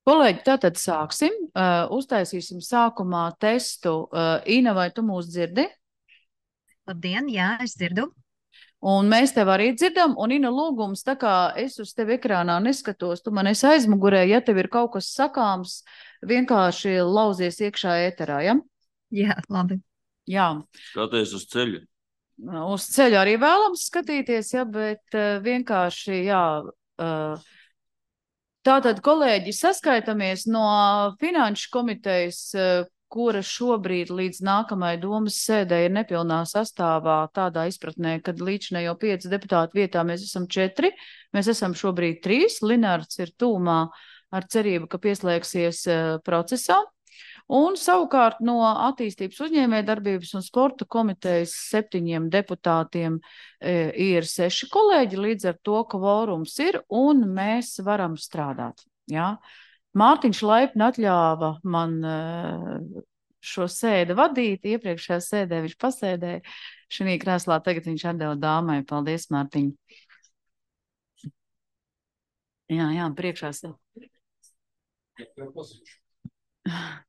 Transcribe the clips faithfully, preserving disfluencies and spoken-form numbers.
Kolēģi, tātad sāksim. Uh, uztaisīsim sākumā testu. Uh, Ina, vai tu mūs dzirdi? Labdien, jā, es dzirdu. Un mēs tev arī dzirdam. Un, Ina, lūgums, tā kā es uz tevi ekrānā neskatos, tu man esi aizmugurē, ja tev ir kaut kas sakāms, vienkārši lauzies iekšā ēterā, ja? Jā, labi. Jā. Skaties uz ceļu. Uz ceļu arī vēlams skatīties, ja, bet uh, vienkārši, jā. Uh, Tātad, kolēģi, saskaitamies no Finanšu komitejas, kura šobrīd līdz nākamajai domas sēdē ir nepilnā sastāvā tādā izpratnē, kad līdzinējo pieci deputātu vietā mēs esam četri, mēs esam šobrīd trīs, Linārds ir tūmā ar cerību, ka pieslēgsies procesā. Un savukārt no attīstības uzņēmējdarbības un sporta komitejas septiņiem deputātiem e, ir seši kolēģi, līdz ar to, ka kvorums ir un mēs varam strādāt. Ja? Mārtiņš laipni atļāva man e, šo sēdi vadīt, iepriekšējā sēdē viņš pasēdēja, šī krēslā tagad viņš atdeva dāmai. Paldies, Mārtiņ. Jā, jā, priekšā sēdē.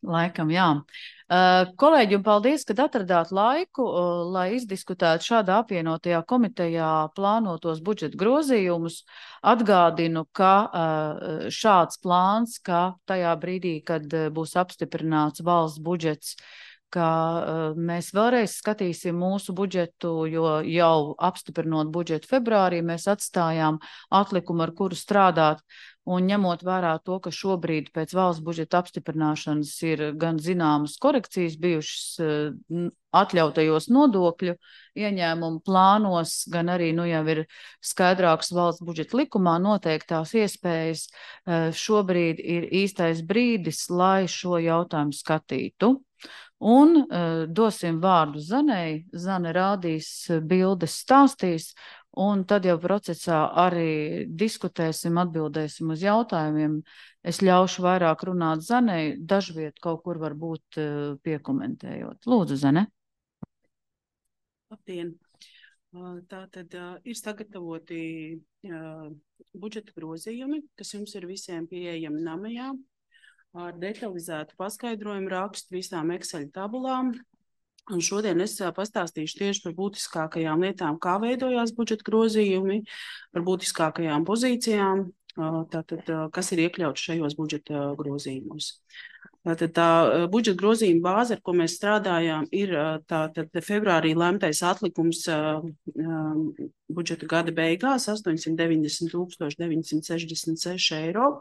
Laikam, jā. Uh, kolēģi, un paldies, kad atradāt laiku, uh, lai izdiskutētu šādā apvienotajā komitejā plānotos budžeta grozījumus. Atgādinu, ka uh, šāds plāns, ka tajā brīdī, kad uh, būs apstiprināts valsts budžets, ka uh, mēs vēlreiz skatīsim mūsu budžetu, jo jau apstiprinot budžetu februārī, mēs atstājām atlikumu, ar kuru strādāt. Un ņemot vērā to, ka šobrīd pēc valsts budžeta apstiprināšanas ir gan zināmas korekcijas bijušas atļautajos nodokļu ieņēmumu plānos, gan arī nu jau ir skaidrāks valsts budžeta likumā noteiktās iespējas, šobrīd ir īstais brīdis, lai šo jautājumu skatītu. Un uh, dosim vārdu Zanei. Zane rādīs bildes, stāstīs, un tad jau procesā arī diskutēsim, atbildēsim uz jautājumiem. Es ļaušu vairāk runāt Zanei, dažviet kaut kur varbūt uh, piekomentējot. Lūdzu, Zane. Labdien! Tā tad uh, ir sagatavoti uh, budžeta grozījumi, kas jums ir visiem pieejami namajā, ar detalizētu paskaidrojumu rakstu visām Excel tabulām. Un šodien es pastāstīšu tieši par būtiskākajām lietām, kā veidojās budžeta grozījumi, par būtiskākajām pozīcijām, tātad, kas ir iekļauts šajos budžeta grozījumos. Tātad tā budžeta grozījuma bāze, ar ko mēs strādājām, ir tātad februārī lemtais atlikums budžeta gada beigās astoņsimt deviņdesmit tūkstoši deviņsimt sešdesmit seši eiro.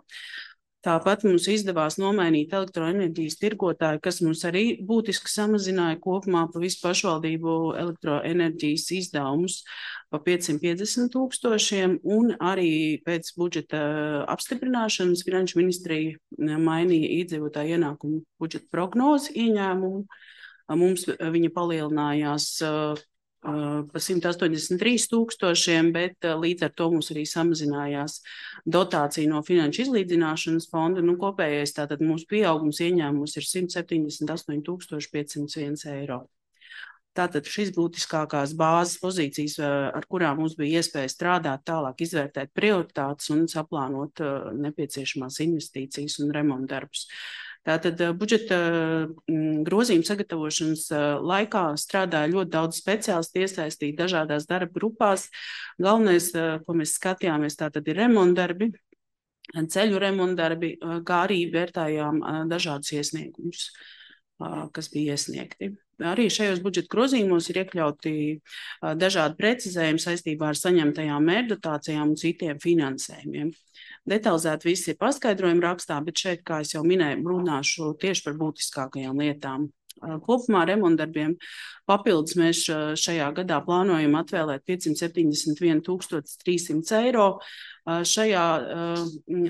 Tāpat mums izdevās nomainīt elektroenerģijas tirgotāju, kas mums arī būtiski samazināja kopumā pa visu pašvaldību elektroenerģijas izdevumus pa piecsimt piecdesmit tūkstošiem, un arī pēc budžeta apstiprināšanas Finanšu ministrija mainīja iedzīvotāju ienākumu budžeta prognozi ieņēmumu. Mums viņa palielinājās pa simt astoņdesmit trīs tūkstošiem, bet līdz ar to mums arī samazinājās dotācija no Finanšu izlīdzināšanas fonda. Nu, kopējais tātad mūsu pieaugums ieņēmums ir simt septiņdesmit astoņi tūkstoši piecsimt viens eiro. Tātad šis būtiskākās bāzes pozīcijas, ar kurām mums bija iespēja strādāt, tālāk izvērtēt prioritātes un saplānot nepieciešamās investīcijas un remontdarbus. Tātad budžeta grozījuma sagatavošanas laikā strādāja ļoti daudz speciālistu, iesaistīti dažādās darba grupās. Galvenais, ko mēs skatījāmies, tātad ir remontdarbi, ceļu remontdarbi, kā arī vērtējām dažādus iesniegumus, kas bija iesniegti. Arī šajos budžeta grozījumos ir iekļauti dažādi precizējumi saistībā ar saņemtajām mērķdotācijām un citiem finansējumiem. Detalizēti viss ir paskaidrojumi rakstā, bet šeit, kā es jau minēju, runāšu tieši par būtiskākajām lietām. Kopumā remontdarbiem papildus mēs šajā gadā plānojam atvēlēt piecsimt septiņdesmit viens tūkstotis trīs simts eiro. Šajā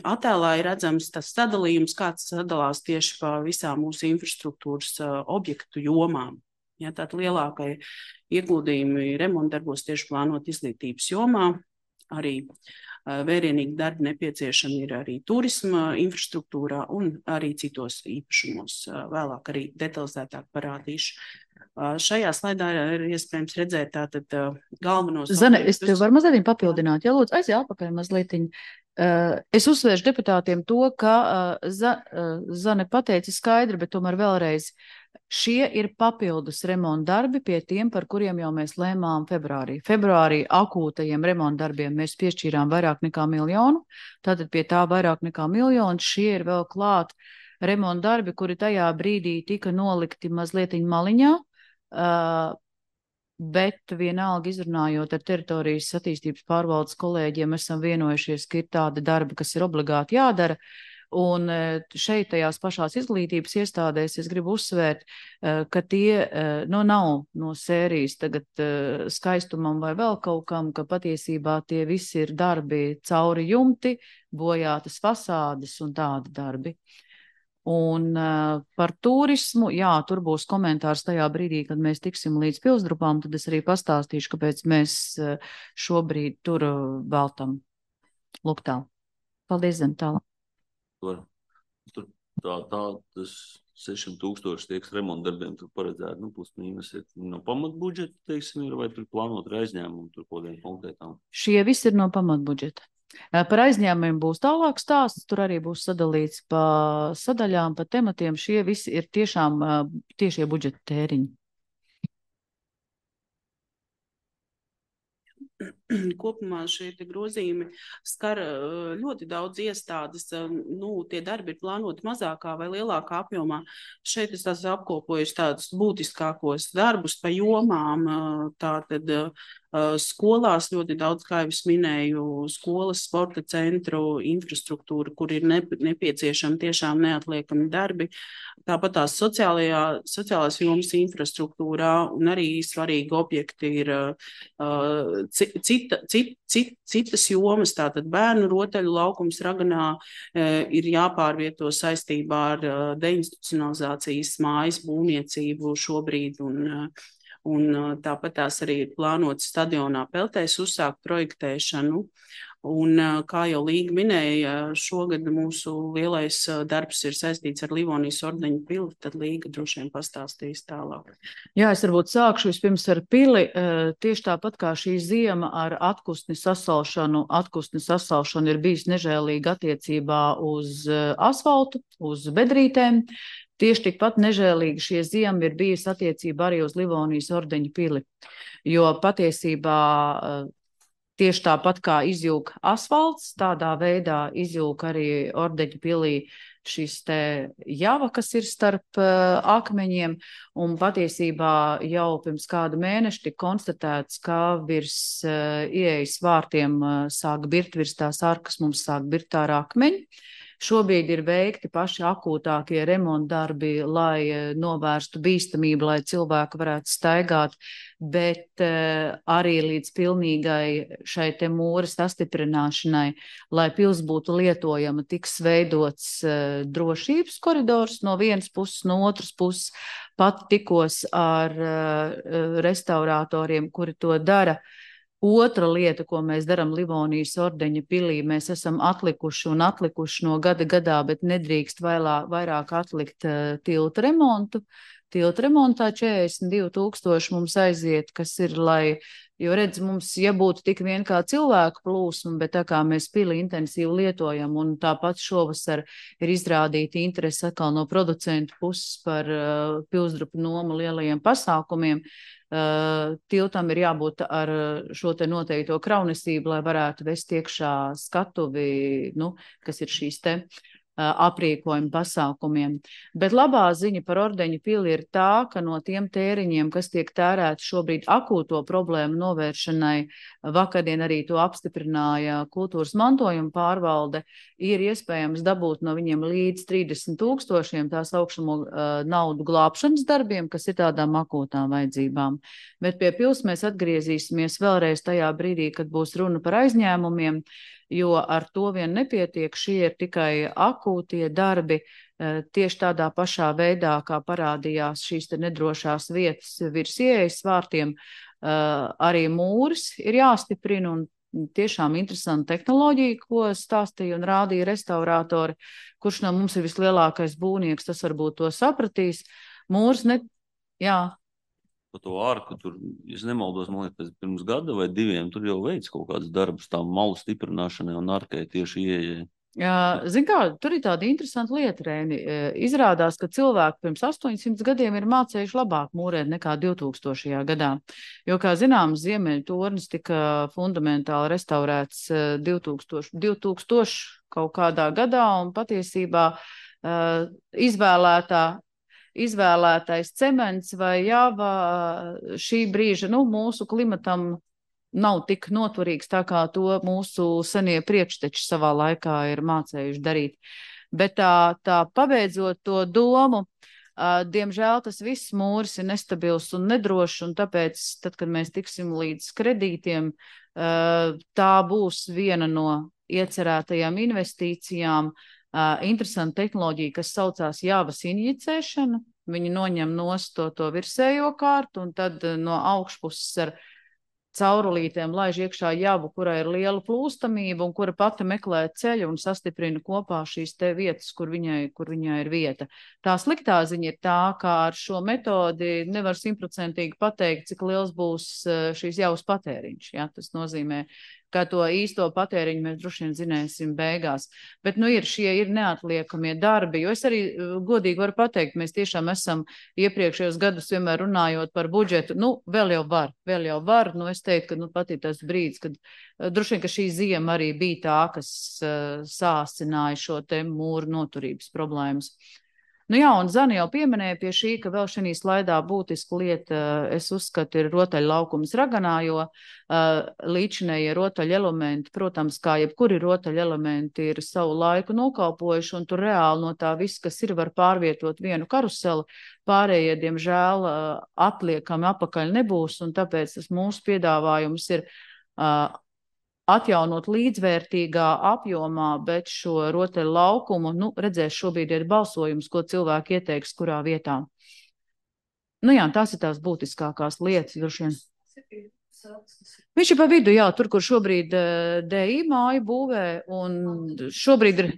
attēlā ir redzams tas sadalījums, kāds sadalās tieši pa visām mūsu infrastruktūras objektu jomām. Ja, tātad lielākai ieguldījumi remontdarbos tieši plānot izglītības jomā, arī vērienīgi darbi nepieciešami ir arī turisma infrastruktūrā un arī citos īpašumos. Vēlāk arī detalizētāk parādīšu. Šajā slaidā ir iespējams redzēt tātad galvenos... Zane, es tev varu mazliet papildināt, ja lūdzu, aiziet atpakaļ mazlietiņ. Es uzsvēršu deputātiem to, ka Zane pateica skaidri, bet tomēr vēlreiz šie ir papildus remonta darbi pie tiem, par kuriem jau mēs lēmām februārī. Februārī akūtajiem remonta darbiem mēs piešķīrām vairāk nekā miljonu, tātad pie tā vairāk nekā miljonu šie ir vēl klāt remonta darbi, kuri tajā brīdī tika nolikti mazlietiņ maliņā, bet vienalga izrunājot ar teritorijas attīstības pārvaldes kolēģiem, esam vienojušies, ka ir tādi darbi, kas ir obligāti jādara. Un šeit tajās pašās izglītības iestādēs es gribu uzsvērt, ka tie nu, nav no sērijas tagad skaistumam vai vēl kaut kam, ka patiesībā tie visi ir darbi cauri jumti, bojātas fasādes un tādi darbi. Un uh, par turismu, jā, tur būs komentārs tajā brīdī, kad mēs tiksim līdz pilsdrupām, tad es arī pastāstīšu, kāpēc mēs uh, šobrīd tur uh, veltam. Lūk tā. Paldies, Zem, tālāk. Tur, tur tā, tā, tas sešsimt tūkstoši tieks remonta darbiem tur paredzēt, nu, plus mīnus ir no pamatbudžeta, teiksim, ir, vai tur plānot ar aizņēmumu, tur kodiem konkrētām? Šie visi ir no pamatbudžeta. Par aizņēmumiem būs tālāk stāsts, tur arī būs sadalīts pa sadaļām, pa tematiem. Šie visi ir tiešām tiešie budžeta tēriņi. Kopumā šie grozījumi skar ļoti daudz iestādes. Nu, tie darbi ir plānoti mazākā vai lielākā apjomā. Šeit es tās apkopoju tādus būtiskākos darbus pa jomām. Tātad skolās ļoti daudz, kā jau es minēju, skolas, sporta centru, infrastruktūra, kur ir nepieciešami tiešām neatliekami darbi. Tāpat tās sociālajā, sociālās jomas infrastruktūrā un arī svarīgi objekti ir uh, cita, cit, cit, citas jomas, tātad bērnu rotaļu laukums Raganā uh, ir jāpārvieto saistībā ar uh, deinstitucionalizācijas mājas būvniecību šobrīd un uh, Un tāpat tās arī ir plānotas stadionā Peltēs uzsākt projektēšanu. Un, kā jau Līga minēja, šogad mūsu lielais darbs ir saistīts ar Livonijas ordeņu pili, tad Līga droši vien pastāstīs tālāk. Jā, es varbūt sākšu vispirms ar pili. Tieši tāpat kā šī ziema ar atkustni sasalšanu, atkustni sasalšanu ir bijis nežēlīga attiecībā uz asfaltu, uz bedrītēm. Tieši tikpat nežēlīgi šie ziemi ir bijusi attiecība arī uz Livonijas ordeņu pili, jo patiesībā tieši tāpat kā izjūg asfalts, tādā veidā izjūg arī ordeņu pilī šis te java, kas ir starp uh, akmeņiem, un patiesībā jau pirms kādu mēnešu tika konstatēts, ka virs uh, ieejas vārtiem uh, sāk birt, virs tās arkas mums sāk birt ārā akmeņi. Šobrīd ir veikti paši akūtākie remontdarbi, lai novērstu bīstamību, lai cilvēki varētu staigāt, bet uh, arī līdz pilnīgai šai te mūres sastiprināšanai, lai pils būtu lietojama, tiks veidots uh, drošības koridors no vienas puses, no otras puses. Pat tikos ar uh, restauratoriem, kuri to dara. Otra lieta, ko mēs darām Livonijas ordeņa pilī, mēs esam atlikuši un atlikuši no gada gadā, bet nedrīkst vairā, vairāk atlikt uh, tilta remontu. Tilta remontā četrdesmit divi tūkstoši mums aiziet, kas ir, lai, jo redz, mums, ja būtu tik vien kā cilvēku plūsma, bet tā kā mēs pili intensīvi lietojam, un tāpat šovasar ir izrādīta interese atkal no producentu puses par uh, pilsdrupu nomu lielajiem pasākumiem, Uh, tiltam ir jābūt ar šo te noteikto kraunesību, lai varētu vest iekšā skatuvi, nu, kas ir šīs te uh, aprīkojuma pasākumiem. Bet labā ziņa par ordeņu pili ir tā, ka no tiem tēriņiem, kas tiek tērēti šobrīd akūto problēmu novēršanai, vakardien arī to apstiprināja kultūras mantojuma pārvalde, ir iespējams dabūt no viņiem līdz trīsdesmit tūkstošiem tā saucamo uh, naudu glābšanas darbiem, kas ir tādām akūtām vajadzībām. Bet pie pils mēs atgriezīsimies vēlreiz tajā brīdī, kad būs runa par aizņēmumiem, jo ar to vien nepietiek, šie ir tikai akūtie darbi, uh, tieši tādā pašā veidā, kā parādījās šīs te nedrošās vietas virs ieejas vārtiem, uh, arī mūris ir jāstiprina un tiešām interesanta tehnoloģija, ko stāstīja un rādīja restaurātori, kurš no mums ir vislielākais būvnieks, tas varbūt to sapratīs. Mūrs ne... Jā. Pa to ārku tur, es nemaldos, man liekas, pirms gada vai diviem tur jau veids kaut kāds darbs tām malu stiprināšanai un ārkai tieši ieejai. Zin kā, tur ir tāda interesanta lieta, Reini. Izrādās, ka cilvēki pirms astoņsimt gadiem ir mācējuši labāk mūrēt nekā divtūkstošajā gadā. Jo, kā zināms, Ziemeļu tornis tika fundamentāli restaurēts divtūkstoši kaut kādā gadā un patiesībā izvēlētā izvēlētais cements vai jāva šī brīža, nu, mūsu klimatam nav tik noturīgs, tā kā to mūsu senie priekšteči savā laikā ir mācējuši darīt. Bet tā, tā pabeidzot to domu, uh, diemžēl tas viss mūris ir nestabils un nedrošs, un tāpēc, tad, kad mēs tiksim līdz kredītiem, uh, tā būs viena no iecerētajām investīcijām, Uh, interesanta tehnoloģija, kas saucās jāvas injicēšana. Viņi noņem nost to, to virsējo kārtu un tad uh, no augšpuses ar caurulītēm laiž iekšā javu, kurai ir liela plūstamība un kura pati meklē ceļu un sastiprina kopā šīs te vietas, kur viņai, kur viņai ir vieta. Tā sliktā ziņa ir tā, ka ar šo metodi nevar simtprocentīgi pateikt, cik liels būs uh, šīs javas patēriņš. Ja? Tas nozīmē, ka to īsto patēriņu mēs droši vien zināsim beigās. Bet, nu, ir šie ir neatliekamie darbi, jo es arī godīgi varu pateikt, mēs tiešām esam iepriekšējos gadus vienmēr runājot par budžetu, nu, vēl jau var, vēl jau var, nu, es teiktu, ka, nu, pat ir tas brīdis, kad droši vien, ka šī ziema arī bija tā, kas uh, sāsināja šo te mūru noturības problēmas. Nu jā, un Zani jau pieminēja pie šī, ka vēl šī slaidā būtiska lieta, es uzskatu, ir rotaļlaukums Raganā, jo uh, līdzinējie rotaļelementi, protams, kā jebkuri rotaļelementi, ir savu laiku nokalpojuši, un tur reāli no tā viss, kas ir, var pārvietot vienu karuseli, pārējie, diemžēl, uh, atliekami apakaļ nebūs, un tāpēc tas mūsu piedāvājums ir uh, atjaunot līdzvērtīgā apjomā, bet šo rotaļu laukumu, nu, redzēs šobrīd ir balsojums, ko cilvēki ieteiks, kurā vietā. Nu jā, tās ir tās būtiskākās lietas, droši vien. Viņš ir pa vidu, jā, tur, kur šobrīd D I māju būvē, un šobrīd ir...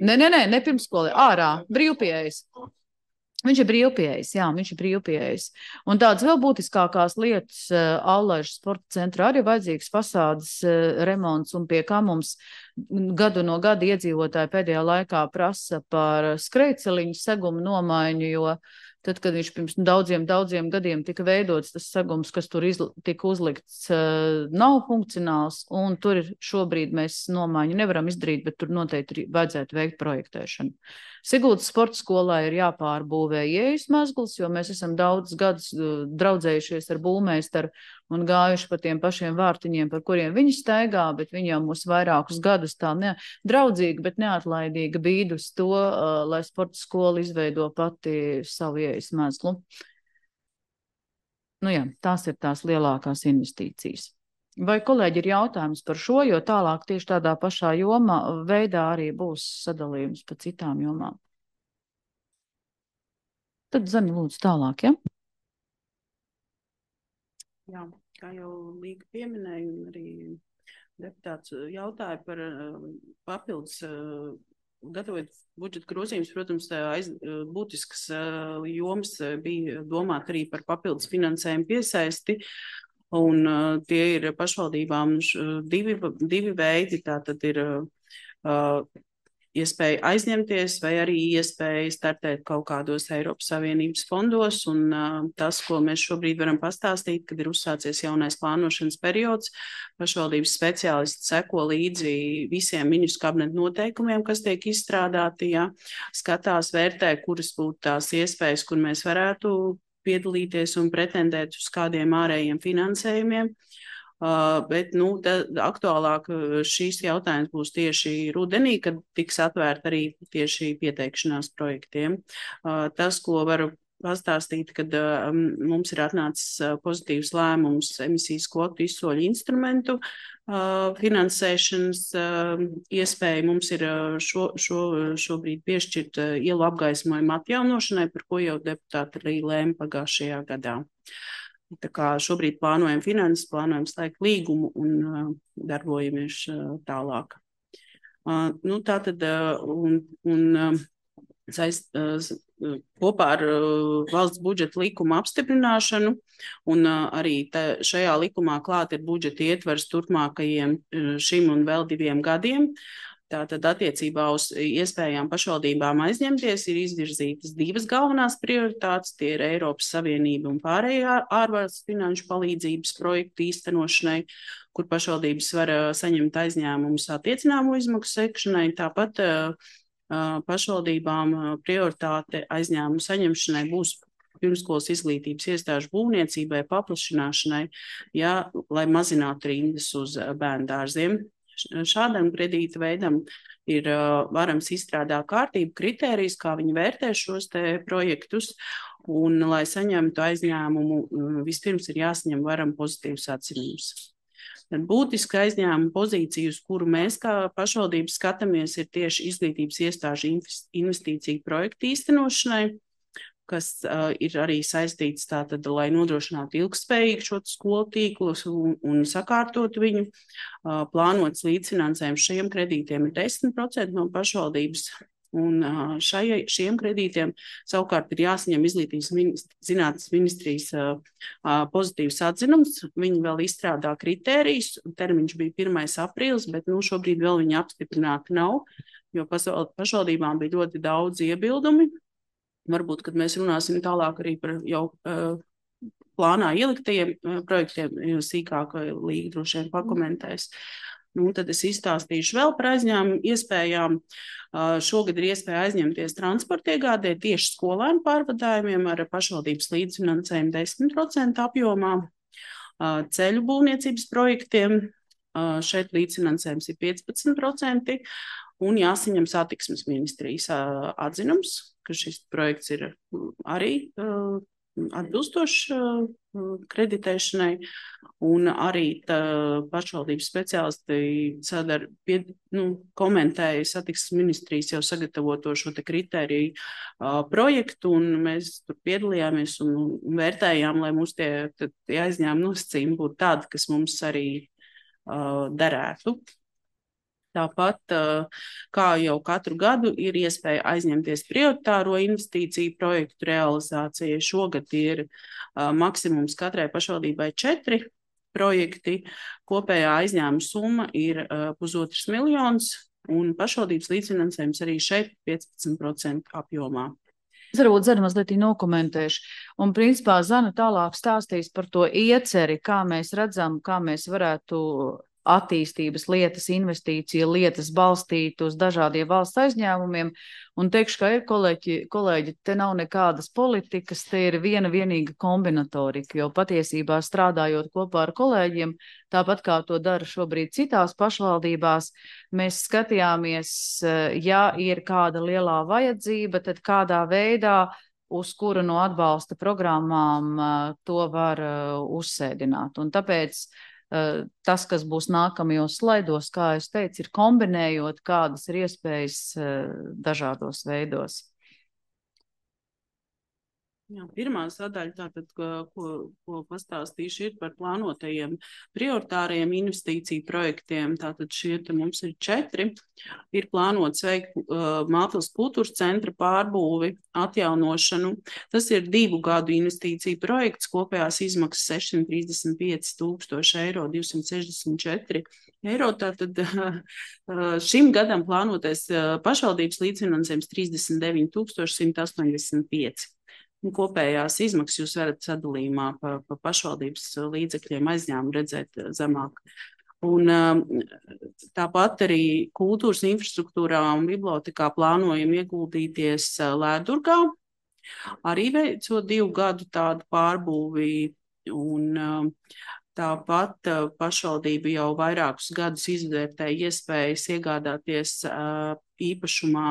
Nē, nē, nē, ne pirmskolē, ārā, brīvpieejas. Viņš ir brīvpieejs, jā, viņš ir brīvpieejs. Un tādas vēl būtiskākās lietas uh, Allaižas sporta centrā arī vajadzīgs fasādes uh, remonts, un pie kā mums gadu no gada iedzīvotāji pēdējā laikā prasa par skrejceliņu segumu nomaiņu, jo tad, kad viņš pirms daudziem, daudziem gadiem tika veidots, tas segums, kas tur izl tika uzlikts, uh, nav funkcionāls, un tur ir šobrīd mēs nomaiņu nevaram izdarīt, bet tur noteikti vajadzētu veikt projektēšanu. Siguldas sporta skolā ir jāpārbūvē ieejas mezgls, jo mēs esam daudz gadus draudzējušies ar būvmeistaru un gājuši pa tiem pašiem vārtiņiem, par kuriem viņi staigā, bet viņi jau mūs vairākus gadus tā ne, draudzīgi, bet neatlaidīgi bīd uz to, uh, lai sporta skola izveido pati savu ieejas mezglu. Nu jā, tās ir tās lielākās investīcijas. Vai kolēģi ir jautājums par šo, jo tālāk tieši tādā pašā jomā veidā arī būs sadalījums pa citām jomām? Tad Zani lūdzu tālāk, ja? Jā, kā jau Līga pieminēja, un arī deputāts jautāja par uh, papildus, uh, gatavot budžeta grozījumus, protams, aiz, uh, būtiskas uh, jomas bija domāt arī par papildus finansējumu piesaisti. Un uh, tie ir pašvaldībām uh, divi, divi veidi, tā tad ir uh, iespēja aizņemties vai arī iespēja startēt kaut kādos Eiropas Savienības fondos, un uh, tas, ko mēs šobrīd varam pastāstīt, kad ir uzsācies jaunais plānošanas periods, pašvaldības speciālisti seko līdzi visiem ministru kabineta noteikumiem, kas tiek izstrādāti, ja, skatās, vērtē, kuras būtu tās iespējas, kur mēs varētu piedalīties un pretendēt uz kādiem ārējiem finansējumiem, uh, bet, nu, da, aktuālāk šīs jautājums būs tieši rudenī, kad tiks atvērt arī tieši pieteikšanās projektiem. Uh, tas, ko varu pastāstīt, kad uh, mums ir atnācis uh, pozitīvs lēmums emisijas kvotu izsoļu instrumentu uh, finansēšanas uh, iespēja. Mums ir uh, šo, šo, šobrīd piešķirt uh, ielu apgaismojumu atjaunošanai, par ko jau deputāti arī lēma pagājušajā gadā. Tā kā šobrīd plānojam finanses, plānojam slēgt līgumu un uh, darbojamies uh, tālāk. Uh, nu, tā tad uh, un, un uh, saist, uh, kopā ar valsts budžeta likuma apstiprināšanu, un arī te, šajā likumā klāt ir budžeta ietvers turpmākajiem šim un vēl diviem gadiem. Tātad attiecībā uz iespējām pašvaldībām aizņemties ir izvirzītas divas galvenās prioritātes. Tie ir Eiropas Savienība un pārējā ārvalstu finanšu palīdzības projektu īstenošanai, kur pašvaldības var saņemt aizņēmumus attiecināmo izmaksu sekšanai. Tāpat uh, pašvaldībām prioritāte aizņēmumu saņemšanai būs pirmskolas izglītības iestāžu būvniecībai, paplašināšanai, ja, lai mazinātu rindas uz bērndārziem. Šādam kredīta veidam ir uh, varams izstrādāt kārtību, kritērijus, kā viņi vērtē šos te projektus, un, lai saņemtu aizņēmumu, vispirms ir jāsaņem varam pozitīvs atzinums. Tad būtiska aizņēmuma pozīcija, uz kuru mēs kā pašvaldības skatāmies, ir tieši izglītības iestāžu investīciju projektu īstenošanai, kas uh, ir arī saistīts tātad, lai nodrošinātu ilgspējīgu šo skolu tīklus un, un sakārtot viņu. Uh, plānots līdzfinansējums šiem kredītiem ir desmit procenti no pašvaldības, un uh, šai, šiem kredītiem savukārt ir jāsaņem izglītības ministri, zinātnes ministrijas uh, uh, pozitīvs atzinums. Viņi vēl izstrādā kritērijus, termiņš bija pirmais aprīlis, bet nu, šobrīd vēl viņi apstiprināti nav, jo pašvaldībām bija ļoti daudz iebildumi. Varbūt, kad mēs runāsim tālāk arī par jau uh, plānā ieliktajiem uh, projektiem, jo sīkāk Līga droši vien pakomentēs. Nu, tad es izstāstīšu vēl par aizņēmumu iespējām. Uh, šogad ir iespēja aizņemties transporta iegādē tieši skolēnu pārvadājumiem ar pašvaldības līdzfinansējumu desmit procenti apjomā. Uh, ceļu būvniecības projektiem uh, šeit līdzfinansējums ir piecpadsmit procenti. Un jāsaņem satiksmes ministrijas uh, atzinums, ka šis projekts ir arī uh, atbilstošs uh, kreditēšanai, un arī tā, pašvaldības speciālisti sadar, pie, nu, komentēja satiksmes ministrijas jau sagatavoto šo te kritēriju uh, projektu, un mēs tur piedalījāmies un, un vērtējām, lai mums tie, tie aizņēmumi nosacījumi būtu tādi, kas mums arī uh, derētu. Tāpat, kā jau katru gadu, ir iespēja aizņemties prioritāro investīciju projektu realizācijai. Šogad ir maksimums katrai pašvaldībai četri projekti. Kopējā aizņēmuma summa ir pusotrs miljons, un pašvaldības līdzfinansējums arī šeit piecpadsmit procenti apjomā. Es varbūt Zana mazliet nokomentēšu. Un principā Zana tālāk stāstīs par to ieceri, kā mēs redzam, kā mēs varētu attīstības lietas, investīcija lietas balstīt uz dažādiem valsts aizņēmumiem. Un teikšu, ka ir kolēģi, kolēģi, te nav nekādas politikas, te ir viena vienīga kombinatorika, jo patiesībā strādājot kopā ar kolēģiem, tāpat kā to dara šobrīd citās pašvaldībās, mēs skatījāmies, ja ir kāda lielā vajadzība, tad kādā veidā uz kura no atbalsta programmām to var uzsēdināt. Un tāpēc tas, kas būs nākamajos slaidos, kā es teicu, ir kombinējot, kādas ir iespējas dažādos veidos. Jā, pirmā sadaļa, tātad, ko, ko pastāstīšu, ir par plānotajiem prioritāriem investīciju projektiem. Tātad šie te mums ir četri. Ir plānots veikt uh, Mātils kultūras centra pārbūvi, atjaunošanu. Tas ir divu gadu investīciju projekts, kopējās izmaksas sešsimt trīsdesmit pieci tūkstoši eiro, divsimt sešdesmit četri eiro. Tātad uh, šim gadam plānotais uh, pašvaldības līdzfinansējums trīsdesmit deviņi tūkstoši simt astoņdesmit pieci. Kopējās izmaksas jūs varat sadalījumā pa, pa pašvaldības līdzekļiem aizņēmumu redzēt zemāk. Un tāpat arī kultūras infrastruktūrā un bibliotekā plānojam ieguldīties Lēdurgā, arī veicot divu gadu tādu pārbūvi. Un tāpat pašvaldība jau vairākus gadus izvērtēja iespējas iegādāties īpašumā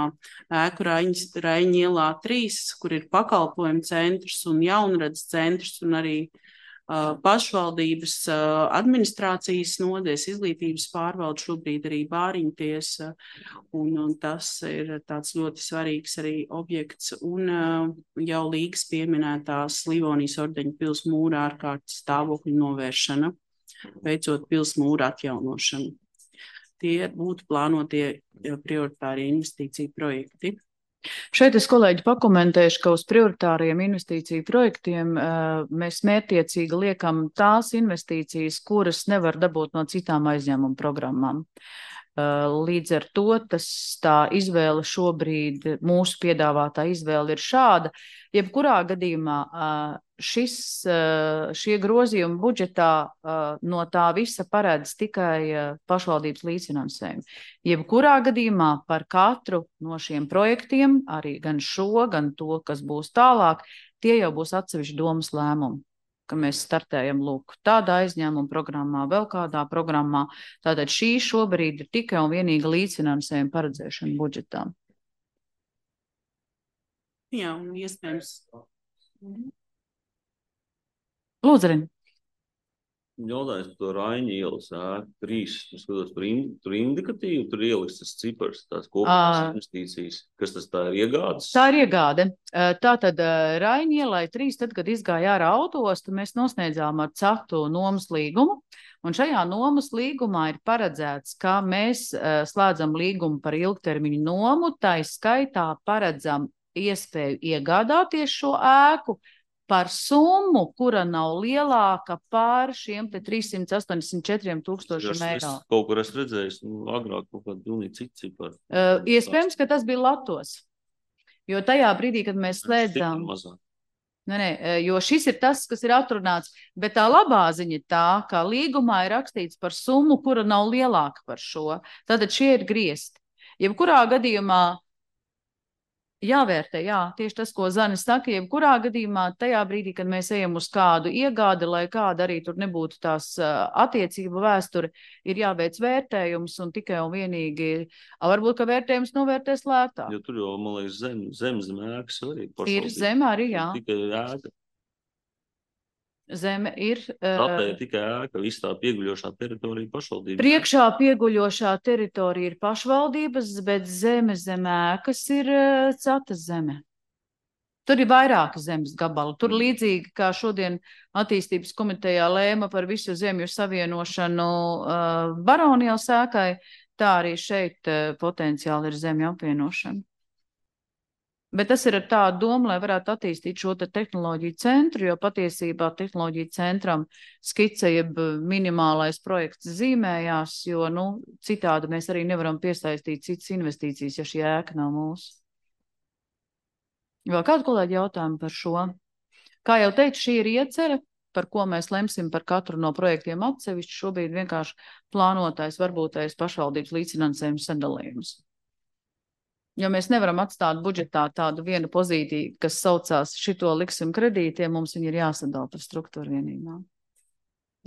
ēku Raiņa ielā trīs, kur ir pakalpojumu centrs un jaunradas centrs, un arī uh, pašvaldības uh, administrācijas nodaļas, izglītības pārvalde, šobrīd arī bāriņtiesa, un, un tas ir tāds ļoti svarīgs arī objekts, un uh, jau Līgas pieminētās Livonijas ordeņa pils mūra ārkārtas stāvokļu novēršana, veicot pils mūra atjaunošanu. Tie būtu plānotie prioritārie investīciju projekti. Šeit es kolēģi pakomentēšu, ka uz prioritāriem investīciju projektiem uh, mēs mērķtiecīgi liekam tās investīcijas, kuras nevar dabūt no citām aizņēmuma programmām. Uh, līdz ar to tas tā izvēle šobrīd, mūsu piedāvātā izvēle ir šāda. Jebkurā gadījumā uh, šis, uh, šie grozījumi budžetā uh, no tā visa paredz tikai uh, pašvaldības līdzfinansējumu. Jebkurā gadījumā par katru no šiem projektiem, arī gan šo, gan to, kas būs tālāk, tie jau būs atsevišķi domas lēmumi, ka mēs startējam lūk tādā aizņēmuma programmā, vēl kādā programmā. Tātad šī šobrīd ir tikai un vienīgi līdzfinansējuma paredzēšana budžetā. Jā, un iespējams. Lūdzu, Rin. Jautājums par to Raiņa ielas ēku trīs, es skatos par in, tur indikatīvu, tur ieliks tas cipars, tās kopējās Ā. investīcijas. Kas tas tā ir iegādes? Tā ir iegāde. Tātad Raiņa ielai trīs, tad, kad izgāja ārā autoostu, mēs nosniedzām ar CETU nomas līgumu. Un šajā nomas līgumā ir paredzēts, ka mēs slēdzam līgumu par ilgtermiņu nomu, tai skaitā paredzam iespēju iegādāties šo ēku par summu, kura nav lielāka pār šiem te trīssimt astoņdesmit četriem tūkstošiem Es, eiro. es kaut kur esmu redzējis, nu, agrāk kaut kādu pilnīgi citu ciparu. Uh, iespējams, ka tas bija Latos. Jo tajā brīdī, kad mēs slēdzām, Mazāk. ne, ne, jo šis ir tas, kas ir atrunāts, bet tā labā ziņa ir tā, ka līgumā ir rakstīts par summu, kura nav lielāka par šo. Tātad šie ir griezti. Jebkurā gadījumā jāvērtē, jā, tieši tas, ko Zanis saka, jebkurā gadījumā tajā brīdī, kad mēs ejam uz kādu iegādi, lai kāda arī tur nebūtu tās uh, attiecību vēsture, ir jāveic vērtējums un tikai un vienīgi, a, varbūt, ka vērtējums novērtēs lētāk. Jo tur jau, man liekas, zem, zem, zem ēkas arī. Ir pašvaldība. zeme arī, jā. Tikai ēka. Zeme ir. Tātad Uh, ir tikai ēka, viss tā pieguļošā teritorija pašvaldības. priekšā pieguļošā teritorija ir pašvaldības, bet zeme zem ēkas ir uh, cetas zeme. Tur ir vairāki zemes gabali. Tur līdzīgi kā šodien attīstības komitejā lēma par visu zemju savienošanu uh, Baronijas ēkai, tā arī šeit uh, potenciāli ir zemju apvienošana. Bet tas ir ar tādu domu, lai varētu attīstīt šo te tehnoloģiju centru, jo patiesībā tehnoloģiju centram skice jeb minimālais projekts zīmējās, jo, nu, citādi mēs arī nevaram piesaistīt citas investīcijas, ja šī ēka nav mūsu. Vēl kādu kolēģi jautājumu par šo? Kā jau teicu, šī ir iecere, par ko mēs lemsim par katru no projektiem atsevišķi. Šobrīd vienkārši plānotais, varbūtais pašvaldības līdzfinansējums sadalījums. Jo mēs nevaram atstāt budžetā tādu vienu pozīciju, kas saucās šito liksim kredītiem, mums viņi ir jāsadala par struktūru vienībām.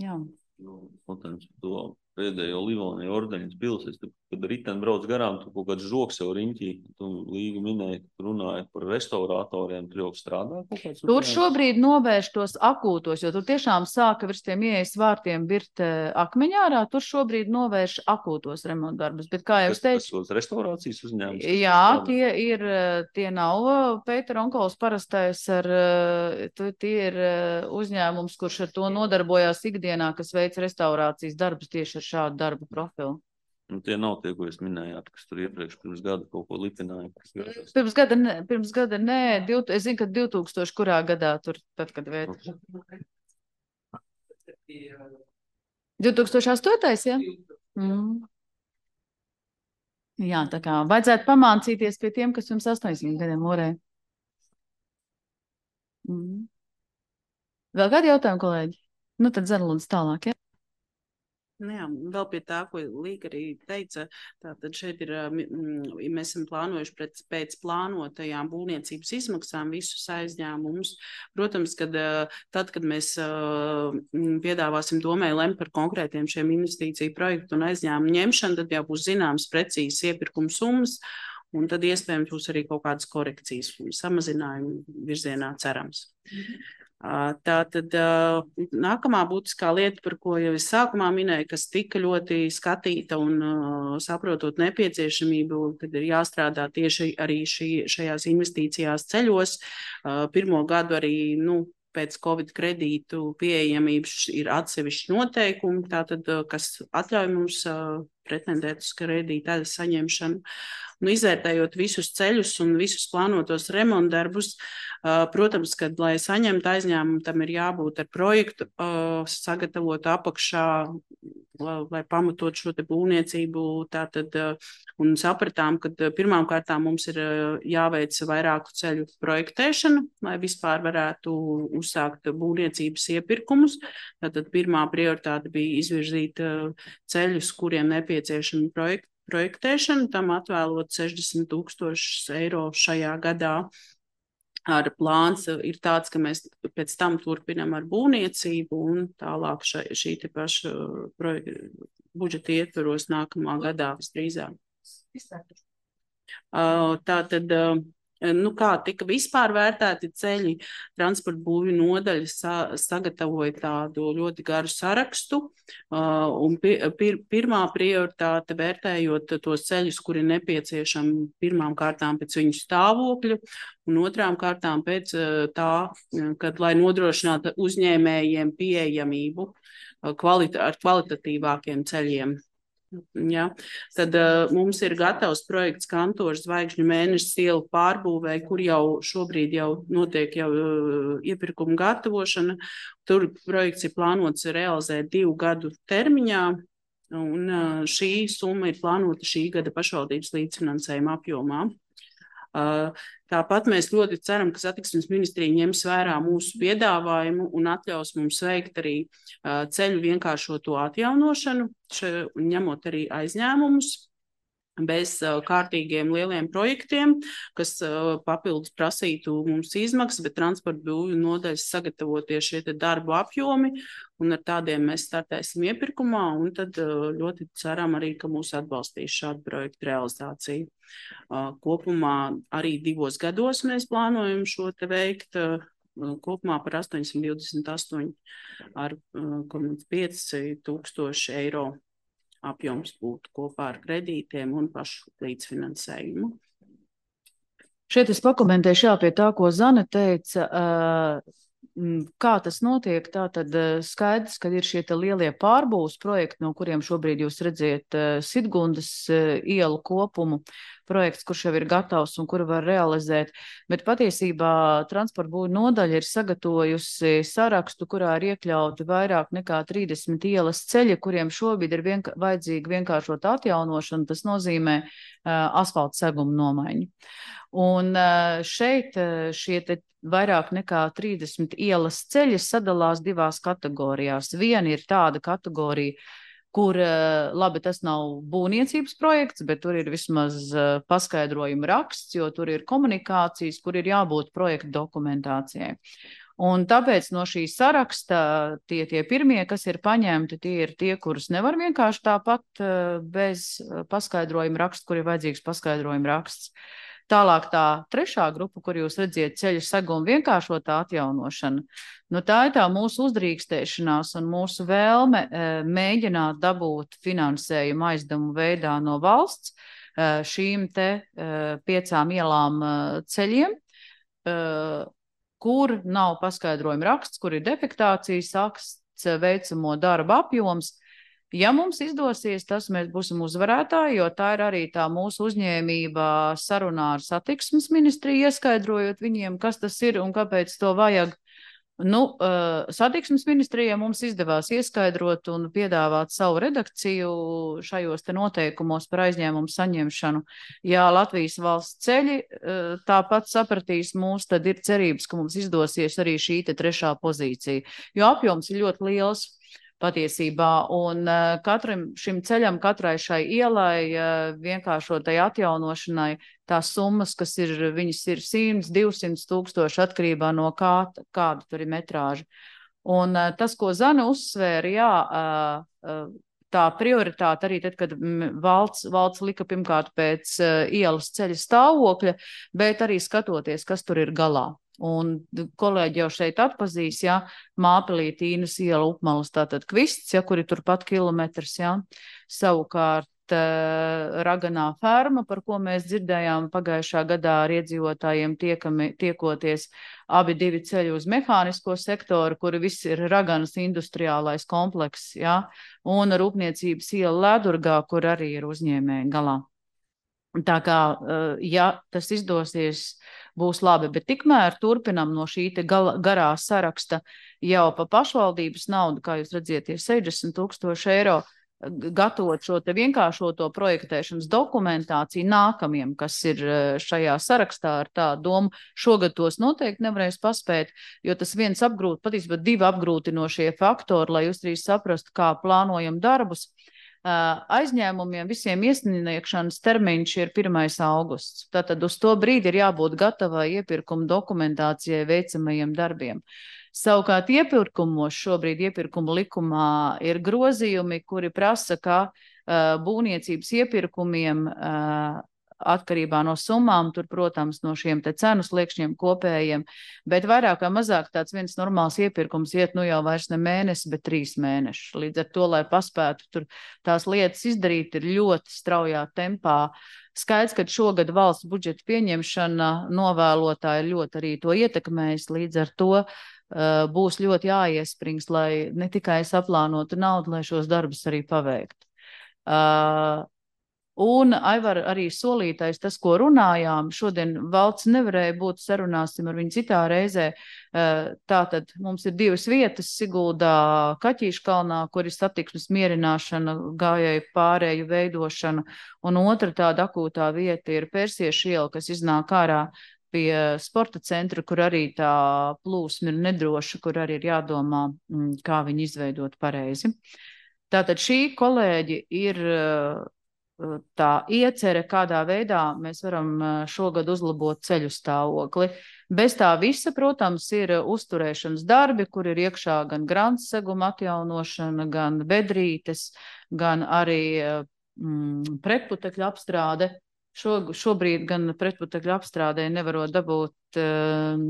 Jā. Jautājums par to pēdējo Livonija ordeņas pilsēs, kad riteni brauc garām, tu kaut kāds žoks jau riņķī, tu Līga minēja, ka runāja par restauratoriem, tur jau strādā kaut kāds? Tur šobrīd novērš tos akūtos, jo tur tiešām sāka virs tiem ieejas vārtiem virt akmeņārā, tur šobrīd novērš akūtos remontdarbus, bet kā jau es teicu, Tas restaurācijas uzņēmums? jā, tie ir, tie nav Pēter Onkols parastais ar, tie ir uzņēmums, kurš ar to nodarbojās ikdienā, kas veic restaurācijas darbus tieši ar šādu darbu profilu. Nu, tie nav tie, ko jūs minējāt, kas tur iepriekš pirms gada kaut ko lipināja. Pirms gada, ne, pirms gada, nē, div, es zinu, ka divtūkstoši kurā gadā tur, tad, kad vērt. divtūkstoši astotais, jā? Mm. Jā, tā kā vajadzētu pamācīties pie tiem, kas jums astoņdesmit gadiem morē. Mm. Vēl kādi jautājumi, kolēģi? Nu, tad Zana lūdzu tālāk, jā? Nu jā, vēl pie tā, ko Līga arī teica, tātad šeit ir, mēs esam plānojuši pēc, pēc plānotajām būvniecības izmaksām visus aizņēmumus. Protams, kad tad, kad mēs piedāvāsim domai lemt par konkrētiem šiem investīciju projektu un aizņēmumu ņemšanu, tad jau būs zināms precīzes iepirkuma summas, un tad iespējams būs arī kaut kādas korekcijas un samazinājumi virzienā cerams. Mm-hmm. Tā tad nākamā būtiskā lieta, par ko jau es sākumā minēju, kas tika ļoti skatīta un saprotot nepieciešamību, kad ir jāstrādā tieši arī šī, šajās investīcijās ceļos. Pirmo gadu arī, nu, pēc Covid kredītu pieejamības ir atsevišķi noteikumi, tātad, kas atļauj mums pretendēt uz kredīta daļas saņemšanu. Nu, izvērtējot visus ceļus un visus plānotos remontdarbus, uh, protams, kad, lai saņemtu aizņēmumu, tam ir jābūt ar projektu uh, sagatavotu apakšā, lai, lai pamatot šo te būvniecību. Tātad, uh, un sapratām, ka uh, pirmām kārtām mums ir uh, jāveic vairāku ceļu projektēšana, lai vispār varētu uzsākt būvniecības iepirkumus. Tātad pirmā prioritāte bija izvirzīt uh, ceļus, kuriem nepieciešami projekti. projektēšanu, tam atvēlot sešdesmit tūkstošus eiro šajā gadā. Ar plāns ir tāds, ka mēs pēc tam turpinām ar būvniecību un tālāk šai, šī te paša projekta budžeta ietvaros nākamā gadā visdrīzāk. Tātad, nu kā tika vispār vērtēti ceļi, transporta būvju nodaļa sa, sagatavoja tādu ļoti garu sarakstu, uh, un pi, pir, pirmā prioritāte vērtējot tos ceļus, kuri nepieciešami pirmām kārtām pēc viņu stāvokļu, un otrām kārtām pēc uh, tā, kad, lai nodrošinātu uzņēmējiem pieejamību uh, kvalita, ar kvalitatīvākiem ceļiem. Ja, tad uh, mums ir gatavs projekts Kantora Zvaigžņu mēneša ielu pārbūvē, kur jau šobrīd jau notiek jau uh, iepirkuma gatavošana. Tur projekts ir plānots realizēt divu gadu termiņā, un uh, šī summa ir plānota šī gada pašvaldības līdzfinansējuma apjomā. Uh, tāpat mēs ļoti ceram, ka satiksmes ministrija ņems vērā mūsu piedāvājumu un atļaus mums veikt arī uh, ceļu vienkāršoto atjaunošanu, še, ņemot arī aizņēmumus bez uh, kārtīgiem lieliem projektiem, kas uh, papildus prasītu mums izmaksas, bet transporta būvju nodaļas sagatavotie šie te darbu apjomi, un ar tādiem mēs startēsim iepirkumā, un tad uh, ļoti ceram arī, ka mūs atbalstīs šādu projektu realizāciju. Uh, kopumā arī divos gados mēs plānojam šo te veikt, uh, kopumā par astoņsimt divdesmit astoņi ar uh, pieci tūkstoši eiro apjoms būtu kopā ar kredītiem un pašu līdzfinansējumu. Šeit es pakomentēšu jā, pie tā, ko Zane teica, kā tas notiek. Tā tad skaidrs, ka ir šie lielie pārbūves projekti, no kuriem šobrīd jūs redziet Sidgundas ielu kopumu projekts, kurš jau ir gatavs un kuru var realizēt, bet patiesībā transporta būvju nodaļa ir sagatavojusi sarakstu, kurā ir iekļauti vairāk nekā trīsdesmit ielas ceļi, kuriem šobrīd ir vienk vajadzīga vienkāršota atjaunošana, tas nozīmē uh, asfalta seguma nomaiņu. Un uh, šeit uh, šie te vairāk nekā trīsdesmit ielas ceļi sadalās divās kategorijās. Viena ir tāda kategorija, kur, labi, tas nav būvniecības projekts, bet tur ir vismaz paskaidrojuma raksts, jo tur ir komunikācijas, kur ir jābūt projekta dokumentācijai. Un tāpēc no šī saraksta tie, tie pirmie, kas ir paņemti, tie ir tie, kurus nevar vienkārši tāpat bez paskaidrojuma raksta, kur ir vajadzīgs paskaidrojuma raksts. Tālāk tā trešā grupa, kur jūs redziet ceļu segumu vienkāršotā atjaunošana, nu tā ir tā mūsu uzdrīkstēšanās un mūsu vēlme e, mēģināt dabūt finansējumu aizdevumu veidā no valsts e, šīm te e, piecām ielām e, ceļiem, e, kur nav paskaidrojuma raksts, kur ir defektācijas akts, veicamo darba apjoms. Ja mums izdosies, tas mēs būsim uzvarētāji, jo tā ir arī tā mūsu uzņēmība sarunā ar satiksmes ministriju, ieskaidrojot viņiem, kas tas ir un kāpēc to vajag. Nu, uh, satiksmes ministrijai mums izdevās ieskaidrot un piedāvāt savu redakciju šajos te noteikumos par aizņēmumu saņemšanu. Ja Latvijas valsts ceļi uh, tāpat sapratīs mūs, tad ir cerības, ka mums izdosies arī šī te trešā pozīcija, jo apjoms ir ļoti liels. Patiesībā, un uh, katram šim ceļam, katrai šai ielai, uh, vienkāršotai atjaunošanai, tās summas, kas ir, viņas ir simt, divsimt tūkstoši atkarībā no kā, kāda tur ir metrāža. Un uh, tas, ko Zane uzsvēra, jā, uh, uh, tā prioritāte arī tad, kad valsts, valsts lika pirmkārt pēc uh, ielas ceļa stāvokļa, bet arī skatoties, kas tur ir galā. Un kolēģi jau šeit atpazīs, ja, Māpelī, Tīnas iela, Upmalas, tātad Kvists, ja, kur ir turpat kilometrs, ja. Savukārt uh, raganā ferma, par ko mēs dzirdējām pagājušā gadā ar iedzīvotājiem tiekami, tiekoties, abi divi ceļi uz mehānisko sektoru, kuri viss ir raganas industriālais komplekss, ja? Un rūpniecības iela Ledurgā, kur arī ir uzņēmēji galā. Tā kā, ja tas izdosies, būs labi, bet tikmēr turpinam no šī te garā saraksta jau pa pašvaldības naudu, kā jūs redziet, ir sešdesmit tūkstoši eiro, gatavot šo te vienkāršoto projektēšanas dokumentāciju nākamiem, kas ir šajā sarakstā ar tā domu. Šogad tos noteikti nevarēs paspēt, jo tas viens apgrūt, patiesībā divi apgrūtinošie faktori, lai jūs arī saprastu, kā plānojam darbus. Aizņēmumiem visiem iesniegšanas termiņš ir pirmais augusts. Tātad uz to brīdi ir jābūt gatavai iepirkuma dokumentācijai veicamajiem darbiem. Savukārt iepirkumos šobrīd iepirkuma likumā ir grozījumi, kuri prasa, ka uh, būvniecības iepirkumiem uh, atkarībā no summām, tur, protams, no šiem te cenu sliekšņiem kopējiem, bet vairāk vai mazāk tāds viens normāls iepirkums iet nu jau vairs ne mēnesi, bet trīs mēneši. Līdz ar to, lai paspētu tur tās lietas izdarīt, ir ļoti straujā tempā. Skaidrs, ka šogad valsts budžeta pieņemšana novēlotā ir ļoti arī to ietekmējis, līdz ar to uh, būs ļoti jāiesprings, lai ne tikai saplānotu naudu, lai šos darbus arī paveiktu. Uh, Un, Aivar, arī solītais, tas, ko runājām, šodien valsts nevarēja būt, sarunāsim ar viņu citā reizē. Tātad mums ir divas vietas Siguldā, Kaķīškalnā, kur ir satiksmes mierināšana, gājēju pārēju veidošana, un otra tāda akūtā vieta ir Persiešu iela, kas iznāk ārā pie sporta centra, kur arī tā plūsma ir nedroša, kur arī ir jādomā, kā viņu izveidot pareizi. Tātad šī kolēģi ir tā iecere, kādā veidā mēs varam šogad uzlabot ceļu stāvokli. Bez tā visa, protams, ir uzturēšanas darbi, kur ir iekšā gan grants seguma atjaunošana, gan bedrītes, gan arī mm, pretputekļu apstrāde. Šo, šobrīd gan pretputekļu apstrādē nevarot dabūt um,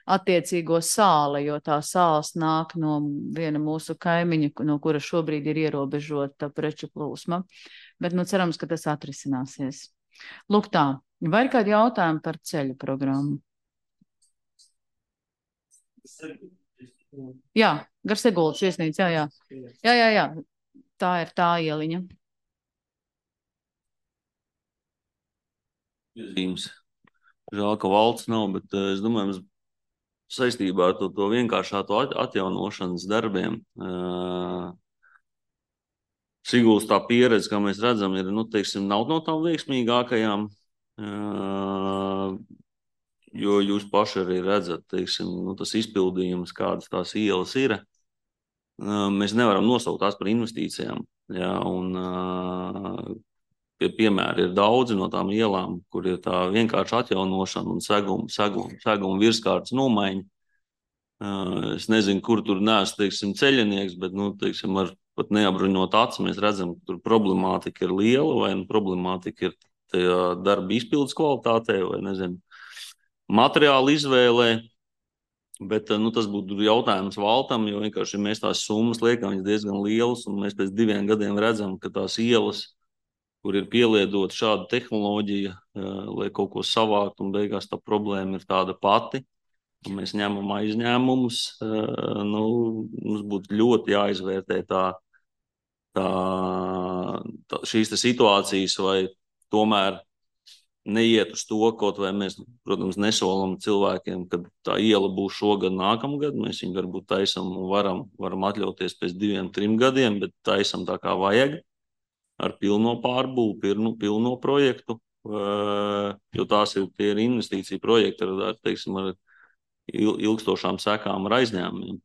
attiecīgo sāli, jo tā sāls nāk no viena mūsu kaimiņa, no kura šobrīd ir ierobežota preču plūsma. Bet nu cerams, ka tas atrisināsies. Lūk tā, vai ir kādi jautājumi par ceļu programmu? Jā, gar Siguldas viesnīca, jā, jā. Jā, jā, jā, tā ir tā ieliņa. Zīmes. Žēl, ka valsts nav, bet es domāju, mēs saistībā ar to, to vienkāršāto atjaunošanas darbiem. Uh, Siguldas tā pieredze, kā mēs redzam, ir, nu, teiksim, nav no tām veiksmīgākajām, uh, jo jūs paši arī redzat, teiksim, nu, tas izpildījums, kādas tās ielas ir. Uh, mēs nevaram nosaukt tās par investīcijām, jā, un uh, pie piemēri ir daudzi no tām ielām, kur ir tā vienkārši atjaunošana un seguma, seguma, seguma virskārtas nomaiņa. Uh, es nezinu, kur tur neesmu, teiksim, ceļinieks, bet, nu, teiksim, ar pat neapbruņot acis, mēs redzam, ka tur problemātika ir liela, vai nu problemātika ir tajā darba izpildes kvalitātē, vai, nezinu, materiāla izvēlē, bet, nu, tas būtu jautājums valtam, jo vienkārši mēs tās summas liekam, viņas diezgan lielas, un mēs pēc diviem gadiem redzam, ka tās ielas, kur ir pieliedot šāda tehnoloģija, lai kaut ko savākt, un beigās tā problēma ir tāda pati. Mēs ņemam aizņēmumus, nu, mums būtu ļoti jāizvērtē tā, tā, tā, šīs situācijas, vai tomēr neiet uz to, kaut vai mēs, protams, nesolam cilvēkiem, ka tā iela būs šogad, nākamgad, mēs viņu varbūt taisam un varam, varam atļauties pēc diviem, trim gadiem, bet taisam tā kā vajag, ar pilno pārbūvu, pilno, pilno projektu, jo tās ir, tie ir investīcija projekti, ar, teiksim, ar ilgstošām sekām ar aizņēmumiem.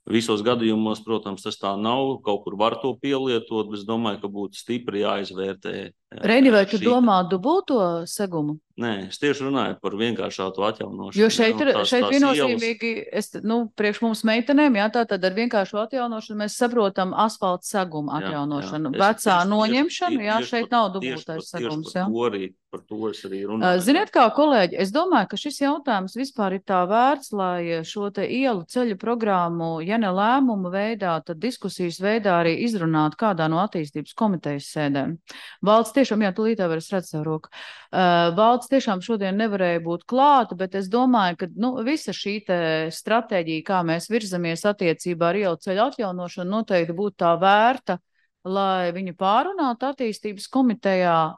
Visos gadījumos, protams, tas tā nav, kaut kur var to pielietot, bet es domāju, ka būtu stipri jāizvērtē Reini, vai tu Šī- domā dubulto segumu? Nē, es tieši runāju par vienkāršātu atjaunošanu. Jo šeit jā, ir, tās- šeit tās viennozīmīgi, es, nu, priekš mums meitenēm, jā, tātad ar vienkāršu atjaunošanu mēs saprotam asfalta segumu Jā, atjaunošanu. jā. Es Vecā tieši- noņemšana, tieši- jā, tieši šeit par- nav tieši dubultais par- tieši segums, par jā. to arī, par to es arī Uh, runāju. Ziniet, kā kolēģi, es domāju, ka šis jautājums vispār ir tā vērts, lai šo te ielu ceļu programmu, ja ne lēmumu veidā, tad diskusijas veidā arī izrunāt kādā no attīstības komitejas sēdēm. Valds tiešām, jā, tūlīt jau var es redzu savu roku. Uh, Valds tiešām šodien nevarēja būt klāta, bet es domāju, ka, nu, visa šī te stratēģija, kā mēs virzamies attiecībā ar ielu ceļu atjaunošanu, noteikti būtu tā vērta, lai viņu pārunātu attīstības komitejā,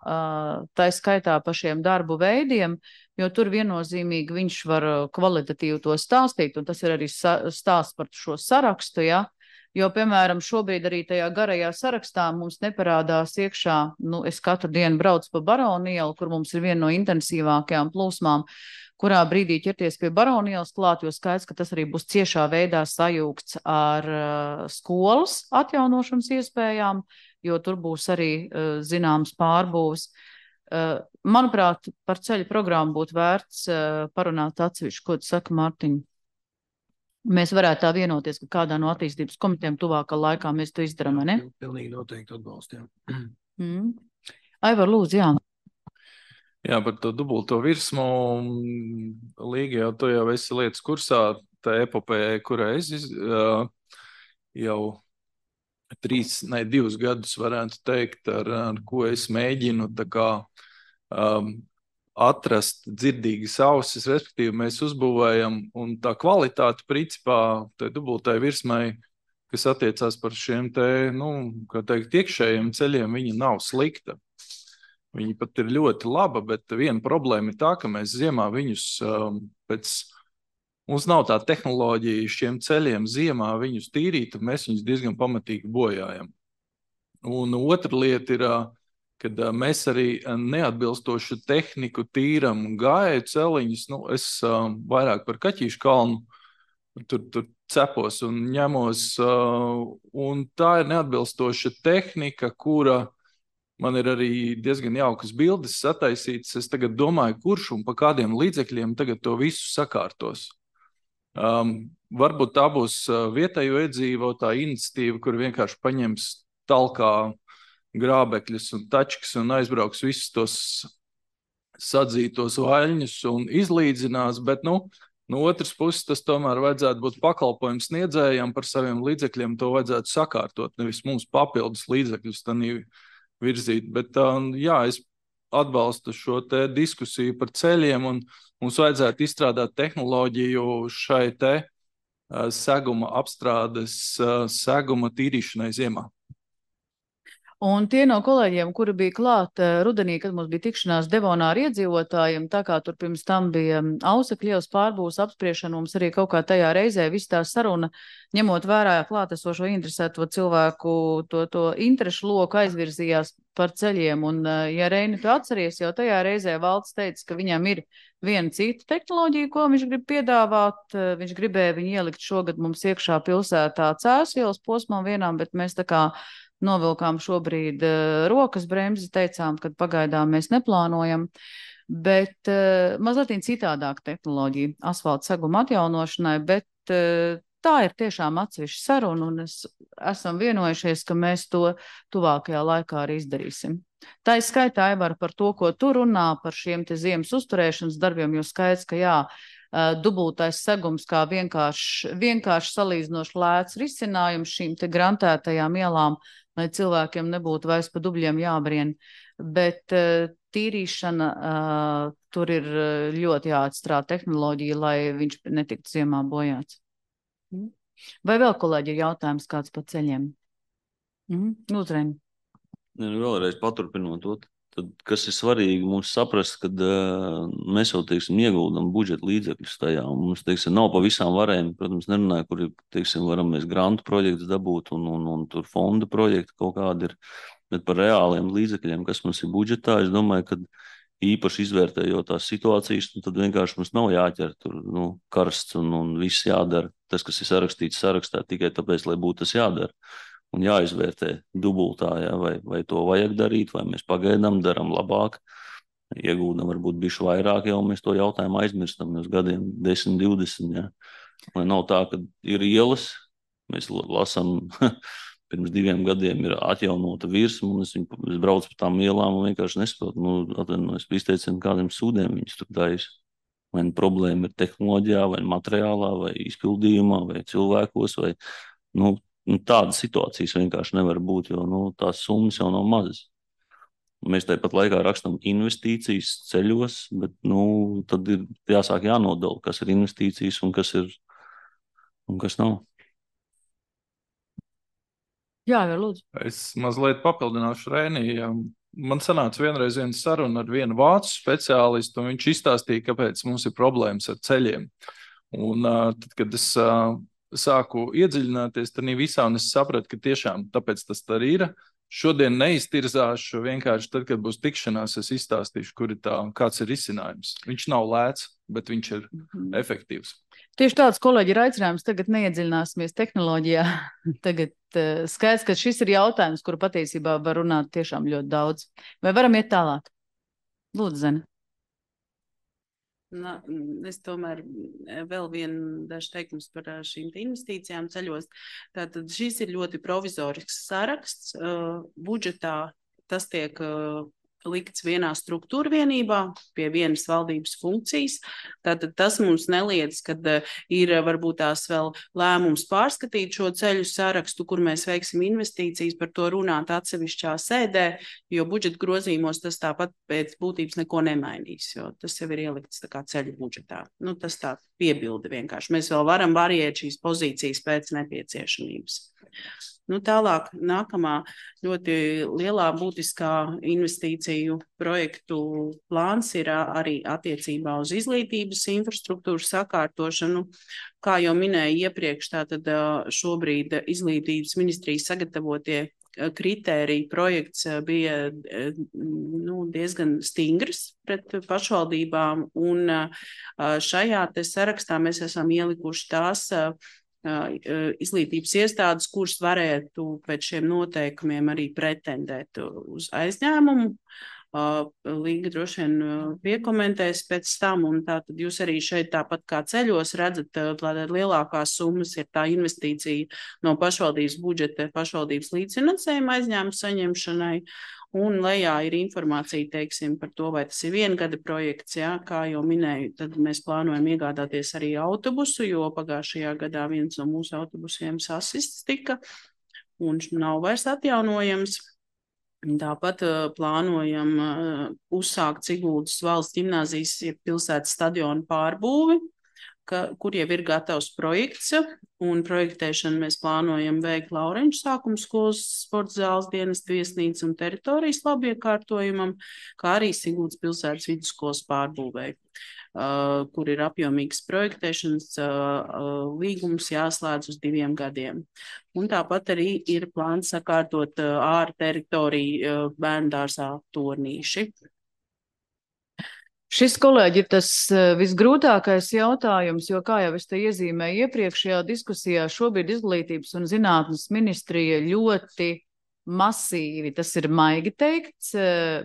tā skaitā par šiem darbu veidiem, jo tur viennozīmīgi viņš var kvalitatīvi to stāstīt, un tas ir arī stāsts par šo sarakstu, ja? Jo, piemēram, šobrīd arī tajā garajā sarakstā mums neparādās iekšā, nu, es katru dienu braucu pa Baronielu, kur mums ir viena no intensīvākajām plūsmām, kurā brīdī ķerties pie Baronielas klāt, jo skaidrs, ka tas arī būs ciešā veidā sajūgts ar uh, skolas atjaunošanas iespējām, jo tur būs arī uh, zināms pārbūves. Uh, manuprāt, par ceļu programmu būtu vērts uh, parunāt atsevišķi, ko tu saka, Mārtiņ. Mēs varētu tā vienoties, ka kādā no attīstības komitejām tuvākā laikā mēs to izdarām, vai ne? Pilnīgi noteikti atbalstījām. Mm. Aivar, lūdzu, jā. Jā, par to dubulto virsmu, Līga, jau tu jau esi lietas kursā, tā epopēja, kurā es iz, uh, jau trīs, ne, divus gadus varētu teikt, ar, ar ko es mēģinu tā kā um, atrast dzirdīgas ausis, respektīvi mēs uzbūvējam, un tā kvalitāte principā, tai dubultai virsmai, kas attiecās par šiem te, nu, kā teikt, iekšējiem ceļiem, viņa nav slikta. Viņa pat ir ļoti laba, bet viena problēma ir tā, ka mēs ziemā viņus um, pēc, mums nav tā tehnoloģija šiem ceļiem ziemā viņus tīrīt, un mēs viņus diezgan pamatīgi bojājam. Un otra lieta ir, kad mēs arī neatbilstošu tehniku tīram gāju celiņus, nu, es um, vairāk par Kaķīšu kalnu, tur, tur cepos un ņemos, uh, un tā ir neatbilstoša tehnika, kura man ir arī diezgan jaukas bildes sataisītas. Es tagad domāju, kurš un pa kādiem līdzekļiem tagad to visu sakārtos. Um, varbūt tā būs vietējo iedzīvotā iniciatīva, kur vienkārši paņems talkā grābekļus un tačkas un aizbrauks visus tos sadzītos vaļņus un izlīdzinās, bet, nu, no otras puses tas tomēr vajadzētu būt pakalpojums sniedzējam par saviem līdzekļiem, to vajadzētu sakārtot, nevis mums papildus līdzekļus tanī virzīt, bet jā, es atbalstu šo te diskusiju par ceļiem un mums vajadzētu izstrādāt tehnoloģiju šai te seguma apstrādes, seguma tīrīšanai ziemā. Un tie no kolēģiem, kuri bija klāt rudenī, kad mums bija tikšanās Devonā ar iedzīvotājiem, tā kā tur pirms tam bija Ausekļievas pārbūves apspriešana, mums arī kaut kā tajā reizē viss tā saruna, ņemot vērā klātesošo interesēto cilvēku, to, to interešu loku aizvirzījās par ceļiem. Un, ja Reini, tu atceries, jau tajā reizē Valds teica, ka viņam ir viena cita tehnoloģija, ko viņš grib piedāvāt. Viņš gribēja viņu ielikt šogad mums iekšā pilsētā Cēsu ielas posmā vienām, bet mēs tā kā novilkām šobrīd uh, rokas bremzi, teicām, ka pagaidām mēs neplānojam, bet uh, mazliet citādāk tehnoloģija asfalta seguma atjaunošanai, bet uh, tā ir tiešām atsevišķa saruna, un es esam vienojušies, ka mēs to tuvākajā laikā arī izdarīsim. Tā ir skaitā, Aivar, par to, ko tu runā par šiem te ziemas uzturēšanas darbiem, jo skaidrs, ka jā, uh, dubultais segums kā vienkārši, vienkārši salīdzinoši lēts risinājums šīm te grantētajām ielām, lai cilvēkiem nebūtu vairs pa dubļiem jābrien. Bet uh, tīrīšana, uh, tur ir ļoti jāatstrāda tehnoloģija, lai viņš netiktu ziemā bojāts. Mm. Vai vēl, kolēģi, ir jautājums kāds par ceļiem? Mm. Lūdzu, Reini. Ne, nu, vēlreiz paturpinot to, tad, kas ir svarīgi mums saprast, kad uh, mēs jau, teiksim, ieguldam budžeta līdzekļus tajā, un mums, teiksim, nav pa visām varēm, protams, nerunāju, kur, teiksim, varam mēs grantu projektus dabūt, un, un, un tur fonda projekti kaut kādi ir, bet par reāliem līdzekļiem, kas mums ir budžetā, es domāju, ka īpaši izvērtējot tās situācijas, nu, tad vienkārši mums nav jāķer tur, nu, karsts un, un viss jādara. Tas, kas ir sarakstīts sarakstā, tikai tāpēc, lai būtu tas jādara. un jāizvērtē dubultā, ja, vai, vai to vajag darīt, vai mēs pagaidām daram labāk, iegūdam varbūt bišķi vairāk, jau mēs to jautājumu aizmirstam uz gadiem desmit, divdesmit, ja. Lai nav tā, ka ir ielas, mēs lasam, pirms diviem gadiem ir atjaunota virsma, un es, viņu, es braucu pa tām ielām un vienkārši nesaprotu, nu, atvainojos, izteicienu, kādiem sūdiem viņus tur taisa. Vai nu problēma ir tehnoloģijā, vai materiālā, vai izpildījumā, vai cilvēkos, vai, nu, tādas situācijas vienkārši nevar būt, jo, nu, tās summas jau nav mazas. Mēs tāpat laikā rakstam investīcijas ceļos, bet, nu, tad ir jāsāk jānodala, kas ir investīcijas un kas ir, un kas nav. Jā, jau lūdzu. Es mazliet papildināšu Rēnī. Man sanāca vienreiz viena saruna ar vienu vācu speciālistu, un viņš izstāstīja, kāpēc mums ir problēmas ar ceļiem. Un tad, kad es sāku iedziļināties tad visā, un es sapratu, ka tiešām tāpēc tas tā ir. Šodien neiztirzāšu, vienkārši tad, kad būs tikšanās, es izstāstīšu, kur ir tā, kāds ir risinājums. Viņš nav lēts, bet viņš ir mm-hmm. efektīvs. Tieši tāds, kolēģi, ir aicinājums. Tagad neiedziļināsimies tehnoloģijā. Tagad uh, skaidrs, ka šis ir jautājums, kuru patiesībā var runāt tiešām ļoti daudz. Vai varam iet tālāk? Lūdzu, Zene. Na, es tomēr vēl vienu dažu teikums par šīm investīcijām ceļos. Tātad šis ir ļoti provizorisks saraksts. Uh, budžetā tas tiek uh, likts vienā struktūra vienībā pie vienas valdības funkcijas. Tātad tas mums neliedz, kad uh, ir varbūt tās vēl lēmums pārskatīt šo ceļu sarakstu, kur mēs veiksim investīcijas, par to runāt atsevišķā sēdē, jo budžeta grozījumos tas tāpat pēc būtības neko nemainīs, jo tas jau ir ielikts tā kā ceļu budžetā. Nu, tas tā piebilde vienkārši. Mēs vēl varam variēt šīs pozīcijas pēc nepieciešamības. Nu, tālāk, nākamā ļoti lielā būtiskā investīciju projektu plāns ir arī attiecībā uz izglītības infrastruktūras sakārtošanu. Kā jau minēju iepriekš, tātad šobrīd izglītības ministrijas sagatavotie kritēriju projekts bija nu, diezgan stingrs pret pašvaldībām, un šajā te sarakstā mēs esam ielikuši tās izglītības iestādes, kuras varētu pēc šiem noteikumiem arī pretendēt uz aizņēmumu. Līga droši vien piekomentēs pēc tam, un tātad jūs arī šeit tāpat kā ceļos redzat, lai lielākās summas ir tā investīcija no pašvaldības budžeta pašvaldības līdzfinansējuma aizņēmuma saņemšanai, un lejā ir informācija, teiksim, par to, vai tas ir viena gada projekts, jā, kā jau minēju, tad mēs plānojam iegādāties arī autobusu, jo pagājušajā gadā viens no mūsu autobusiem sasists tika un nav vairs atjaunojams. Tāpat uh, plānojam uh, uzsākt Siguldas valsts ģimnāzijas pilsētas stadionu pārbūvi, ka, kur jau ir gatavs projekts, un projektēšanu mēs plānojam veikt Laureņu sākuma skolas sporta zāles dienestu viesnīcu un teritorijas labiekārtojumam, kā arī Siguldas pilsētas vidusskolas pārbūvei, uh, kur ir apjomīgs projektēšanas uh, uh, līgums jāslēdz uz diviem gadiem. Un tāpat arī ir plāns sakārtot uh, ārā teritoriju uh, bērndārzā tornīši. Šis, kolēģi, ir tas visgrūtākais jautājums, jo, kā jau es te iezīmēju iepriekšējā diskusijā, šobrīd izglītības un zinātnes ministrija ļoti masīvi, tas ir maigi teikts,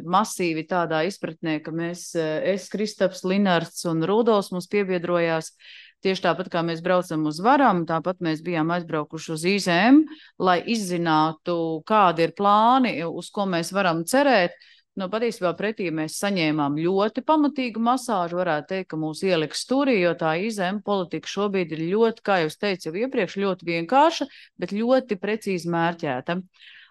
masīvi tādā izpratnē, ka mēs, es, Kristaps, Linards un Rudolfs mums piebiedrojās. Tieši tāpat, kā mēs braucam uz Varam, tāpat mēs bijām aizbraukuši uz I Z M, lai izzinātu, kādi ir plāni, uz ko mēs varam cerēt. Nu, patiesībā pretī mēs saņēmām ļoti pamatīgu masāžu, varētu teikt, ka mūs ieliks stūrī, jo tā I Z M politika šobrīd ir ļoti, kā jūs teicu jau iepriekš, ļoti vienkārša, bet ļoti precīzi mērķēta.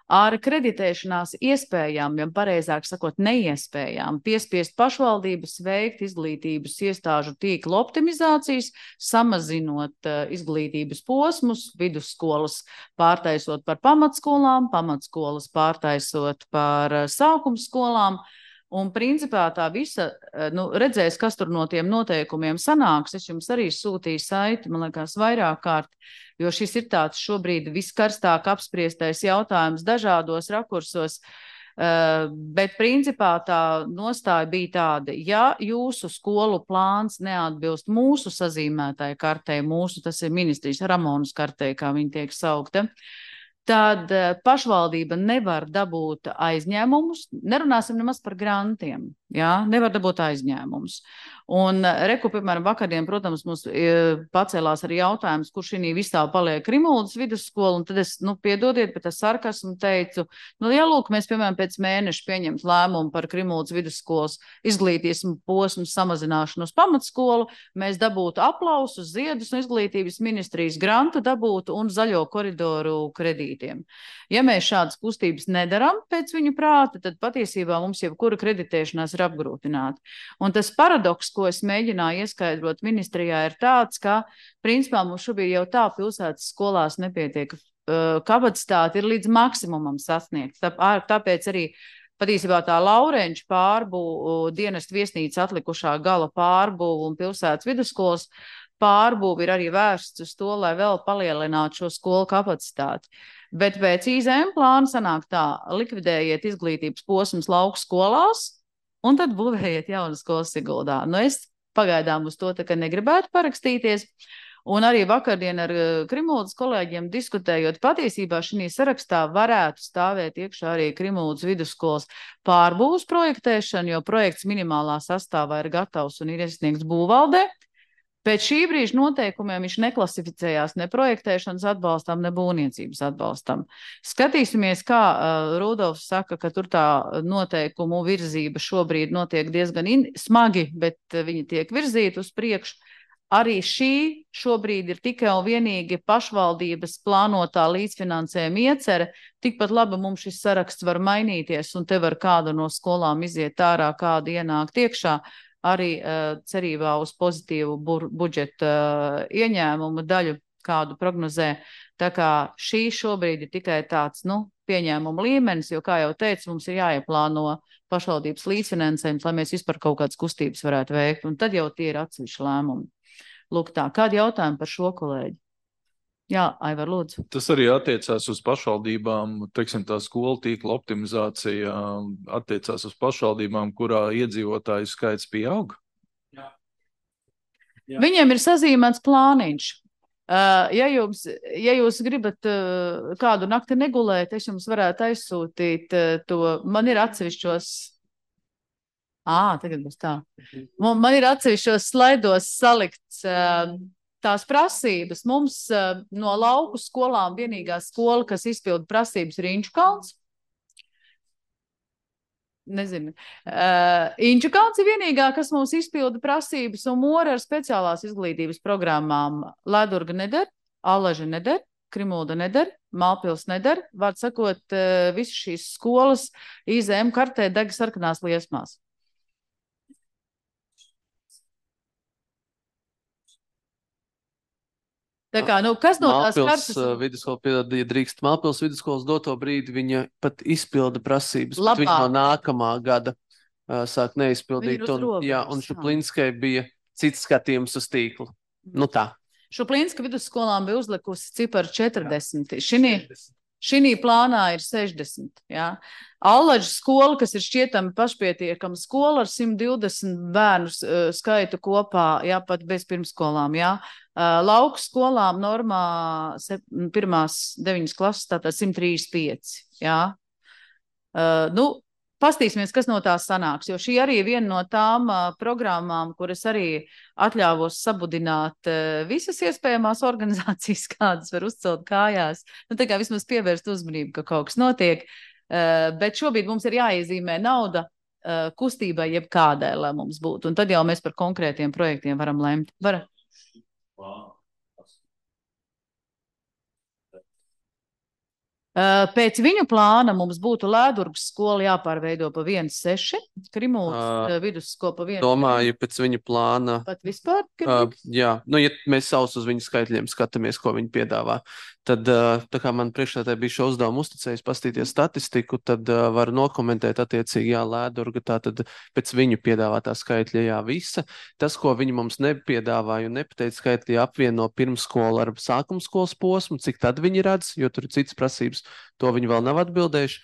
Ar kreditēšanās iespējām, ja pareizāk sakot, neiespējām, piespiest pašvaldības veikt izglītības iestāžu tīkla optimizācijas, samazinot uh, izglītības posmus, vidusskolas pārtaisot par pamatskolām, pamatskolas pārtaisot par uh, sākumskolām. Un principā tā visa, nu, redzēs, kas tur no tiem noteikumiem sanāks. Es jums arī sūtīju saiti, man liekas, vairāk kārt, jo šis ir tāds šobrīd viskarstāk apspriestais jautājums dažādos rakursos. Uh, bet principā tā nostāja bija tāda, ja jūsu skolu plāns neatbilst mūsu sazīmētāju kartei, mūsu, tas ir ministrijas Ramonas kartei, kā viņi tiek saukta, tad pašvaldība nevar dabūt aizņēmumus. Nerunāsim nemaz par grantiem. Jā, nevar dabūt aizņēmumus. Un reku, piemēram, vakardien, protams, mums pacēlās arī jautājums, kur šī visā paliek Krimuldas vidusskola, un tad es, nu, piedodiet, bet es sarkasmu teicu, nu, ja lūk, mēs, piemēram, pēc mēneša pieņemt lēmumu par Krimuldas vidusskolas izglītības posmu samazināšanu uz pamatskolu, mēs dabūtu aplausus, ziedus un izglītības ministrijas grantu dabūtu un zaļo koridoru kredītiem. Ja mēs šādas kustības nedaram pēc viņu prāta, tad patiesībā mums jebkura kreditēšanās ir apgrūtināta. Un tas paradoks, ko es mēģināju ieskaidrot ministrijā, ir tāds, ka, principā, mums šobrīd jau tā pilsētas skolās nepietiek uh, kapacitāte ir līdz maksimumam sasniegts. Tā, tāpēc arī patiesībā tā Laurenča pārbūve, dienestu viesnīca atlikušā gala pārbūve un pilsētas vidusskolas pārbūve ir arī vērsts uz to, lai vēl palielinātu šo skolu kapacitāti. Bet pēc I Z M plāna sanāk tā, likvidējiet izglītības posmus lauku skolās, un tad būvējiet jaunas skolas Siguldā. Nu, es pagaidām uz to tā kā negribētu parakstīties. Un arī vakardien ar Krimuldas kolēģiem diskutējot, patiesībā šī sarakstā varētu stāvēt iekšā arī Krimuldas vidusskolas pārbūves projektēšana, jo projekts minimālā sastāvā ir gatavs un ir iesniegts būvvaldē. Pēc šī brīža noteikumiem viņš neklasificējās ne projektēšanas atbalstam, ne būvniecības atbalstam. Skatīsimies, kā uh, Rudolfs saka, ka tur tā noteikumu virzība šobrīd notiek diezgan in, smagi, bet uh, viņi tiek virzīti uz priekšu. Arī šī šobrīd ir tikai un vienīgi pašvaldības plānotā līdzfinansējuma iecere. Tikpat labi mums šis saraksts var mainīties, un te var kāda no skolām iziet ārā, kāda ienākt iekšā. Arī uh, cerībā uz pozitīvu bur, budžeta uh, ieņēmumu daļu, kādu prognozē. Tā kā šī šobrīd ir tikai tāds, nu, pieņēmuma līmenis, jo, kā jau teicu, mums ir jāieplāno pašvaldības līdzfinansējums, lai mēs vispār kaut kādas kustības varētu veikt, un tad jau tie ir atsevišķi lēmumi. Lūk tā, kādi jautājumi par šo kolēģi? Jā, Aivar, lūdzu. Tas arī attiecās uz pašvaldībām, teiksim, tā skolu tīkla optimizācija attiecās uz pašvaldībām, kurā iedzīvotāju skaits pieaug? Jā. Jā. Viņiem ir sazīmēts plāniņš. Uh, ja, jums, ja jūs gribat uh, kādu nakti negulēt, es jums varētu aizsūtīt uh, to. Man ir atsevišķos. Ā, tagad būs tā. Man, man ir atsevišķos slaidos salikts uh, tās prasības. Mums uh, no lauku skolām vienīgā skola, kas izpilda prasības, ir Inčukalns. Nezinu. Uh, Inčukalns ir vienīgā, kas mums izpilda prasības, un Mora ar speciālās izglītības programmām Ledurga neder, Allaža neder, Krimulda neder, Mālpils neder. Vārds sakot, uh, visas šīs skolas I Z M kartē deg sarkanās liesmās. Tā kā, nu, kas no tās Mālpils kartas? vidusskola, piedod, ja drīkst, Mālpils vidusskolas doto brīdi viņa pat izpilda prasības, Labāk. bet viņa no nākamā gada uh, sāk neizpildīt. Viņa ir uz Un, robežas, jā, un jā. Šuplinskai bija cits skatījums uz tīklu. Nu tā. Šuplinska vidusskolām bija uzlikusi ciparu četrdesmit. Šinī, šinī plānā ir sešdesmit. Jā. Allaģa skola, kas ir šķietami pašpietiekama skola ar simt divdesmit bērnu uh, skaitu kopā, jā, pat bez pirmskolām, jā. Uh, lauku skolām normā sep, pirmās deviņas klases, tātad simt trīsdesmit pieci, jā. Uh, nu, pastīsimies, kas no tās sanāks, jo šī arī ir viena no tām uh, programmām, kuras arī atļāvos sabudināt uh, visas iespējamās organizācijas, kādas var uzcelt kājās. Nu, tā kā vismaz pievērst uzmanību, ka kaut kas notiek, uh, bet šobrīd mums ir jāiezīmē nauda uh, kustībai jebkādai, lai mums būtu, un tad jau mēs par konkrētiem projektiem varam lemt. Var? Pēc viņu plāna mums būtu Lēdurgas skola jāpārveido pa viens seši, Krimuldas uh, vidusskola pa viens. Domāju, pēc viņa plāna. Pat vispār? Uh, jā, nu, ja mēs savus uz viņu skaitļiem skatāmies, ko viņi piedāvā, tad, uh, tā kā man priekšsēdētāji bija šo uzdevumu uzticējis pastīties statistiku, tad uh, var nokomentēt attiecīgi, jā, Lēdurga, tā tad pēc viņu piedāvātā skaitļa, jā, visa. Tas, ko viņi mums nepiedāvāja un nepateica skaitļi, apvieno pirmskolu ar sākumskolas posmu, cik tad viņi redz, jo tur ir citas prasības. To viņi vēl nav atbildējuši.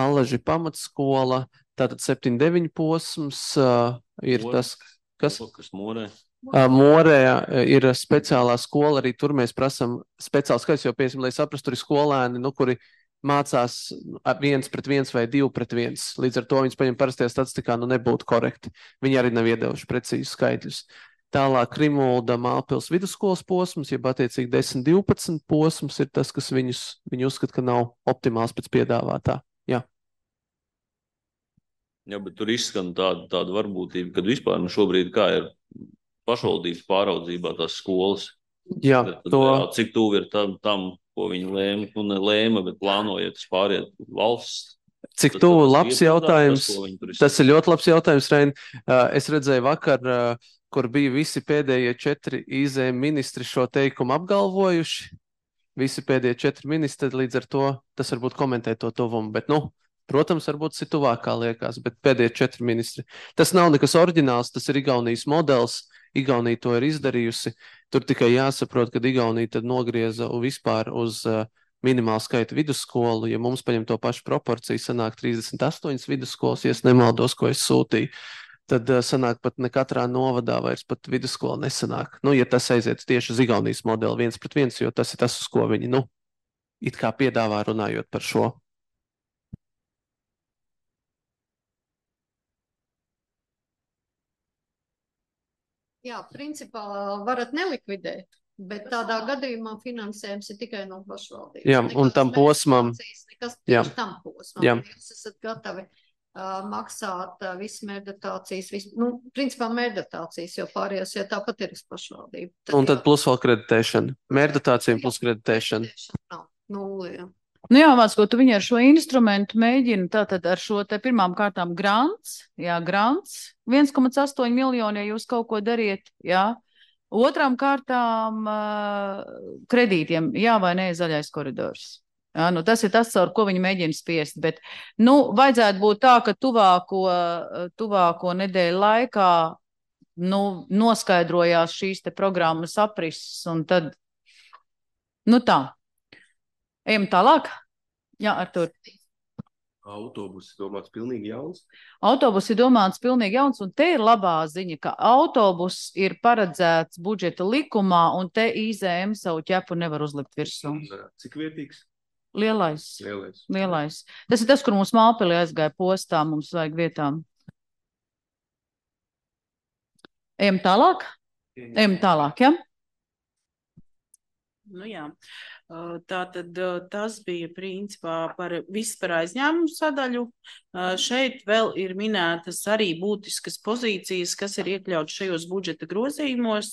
Allaži pamatskola, tātad septiņi deviņi posms uh, ir Mora. tas, kas... Kas Morē? Morē ir speciālā skola, arī tur mēs prasam speciāls skaits, jo, piemēram, lai saprastu, tur ir skolēni, nu, kuri mācās viens pret viens vai divi pret viens. Līdz ar to viņas paņem parastajā statistikā, nu nebūtu korekti. Viņi arī nav iedevuši precīzi skaitļus. Tālāk Krimulda Mālpils vidusskolas posms, jeb attiecīgi desmit divpadsmit posms ir tas, kas viņus, viņi uzskata, ka nav optimāls pēc piedāvātā. Jā. Jā, bet tur izskan tāda, tāda varbūtība, kad vispār nu šobrīd kā ir pašvaldības pāraudzībā tās skolas. Jā, tad, to... jā, cik tuvu ir tam, tam, ko viņi lēma, nu ne lēma, bet plānojiet pāriet valsts. Cik tuvu labs jautājums. Tas, tas ir ļoti labs jautājums, Rein. Es redzēju vakar, kur bija visi pēdējie četri I Z M ministri šo teikumu apgalvojuši. Visi pēdējie četri ministri, līdz ar to tas varbūt komentē to tuvumu, bet, nu, protams, varbūt tas ir tuvākā liekas, bet pēdējie četri ministri. Tas nav nekas oriģināls, tas ir Igaunijas modelis. Igaunija to ir izdarījusi. Tur tikai jāsaprot, ka Igaunija tad nogrieza vispār uz uh, minimālu skaitu vidusskolu. Ja mums paņem to pašu proporciju, sanāk trīsdesmit astoņas vidusskolas, ja es nemaldos, ko es sūtīju, tad uh, sanāk pat ne katrā novadā vairs pat vidusskola nesanāk. Nu, ja tas aiziet tieši uz Igaunijas modeli viens pret viens, jo tas ir tas, uz ko viņi, nu, it kā piedāvā runājot par šo. Jā, principā varat nelikvidēt, bet tādā gadījumā finansējums ir tikai no pašvaldības. Jā, un nekas tam posmam. Nekas Jā. tieši tam posmam. Jā. Jūs esat gatavi uh, maksāt uh, visu mērdatācijas, visu, nu, principā mērdatācijas, jo pārējās, ja tāpat ir uz pašvaldību. Tad un tad plus vēl kreditēšana. Mērdatācija plus kreditēšana. Nav nulli, jā. Nu jā, Vācko, tu viņi ar šo instrumentu mēģina tātad ar šo te pirmām kārtām grants, jā, grants, viens komats astoņi miljoni, ja jūs kaut ko dariet, jā. Otrām kārtām uh, kredītiem, jā vai nē, zaļais koridors. Jā, nu tas ir tas, caur ko viņi mēģina spiest, bet, nu, vajadzētu būt tā, ka tuvāko, tuvāko nedēļu laikā, nu, noskaidrojās šīs te programmas aprises un tad, nu tā. Ejam tālāk. Jā, Artur. Autobus ir domāts pilnīgi jauns. Autobus ir domāts pilnīgi jauns, un te ir labā ziņa, ka autobus ir paredzēts budžeta likumā, un te I Z M savu ķepu nevar uzlikt virsū. Cik vietīgs? Lielais. Lielais. Lielais. Tas ir tas, kur mums Mālpilī aizgāja postā, mums vajag vietām. Ejam tālāk? Ejam tālāk, ja? Nu jā. Tātad tas bija principā par visu par aizņēmumu sadaļu. Šeit vēl ir minētas arī būtiskas pozīcijas, kas ir iekļauts šajos budžeta grozījumos.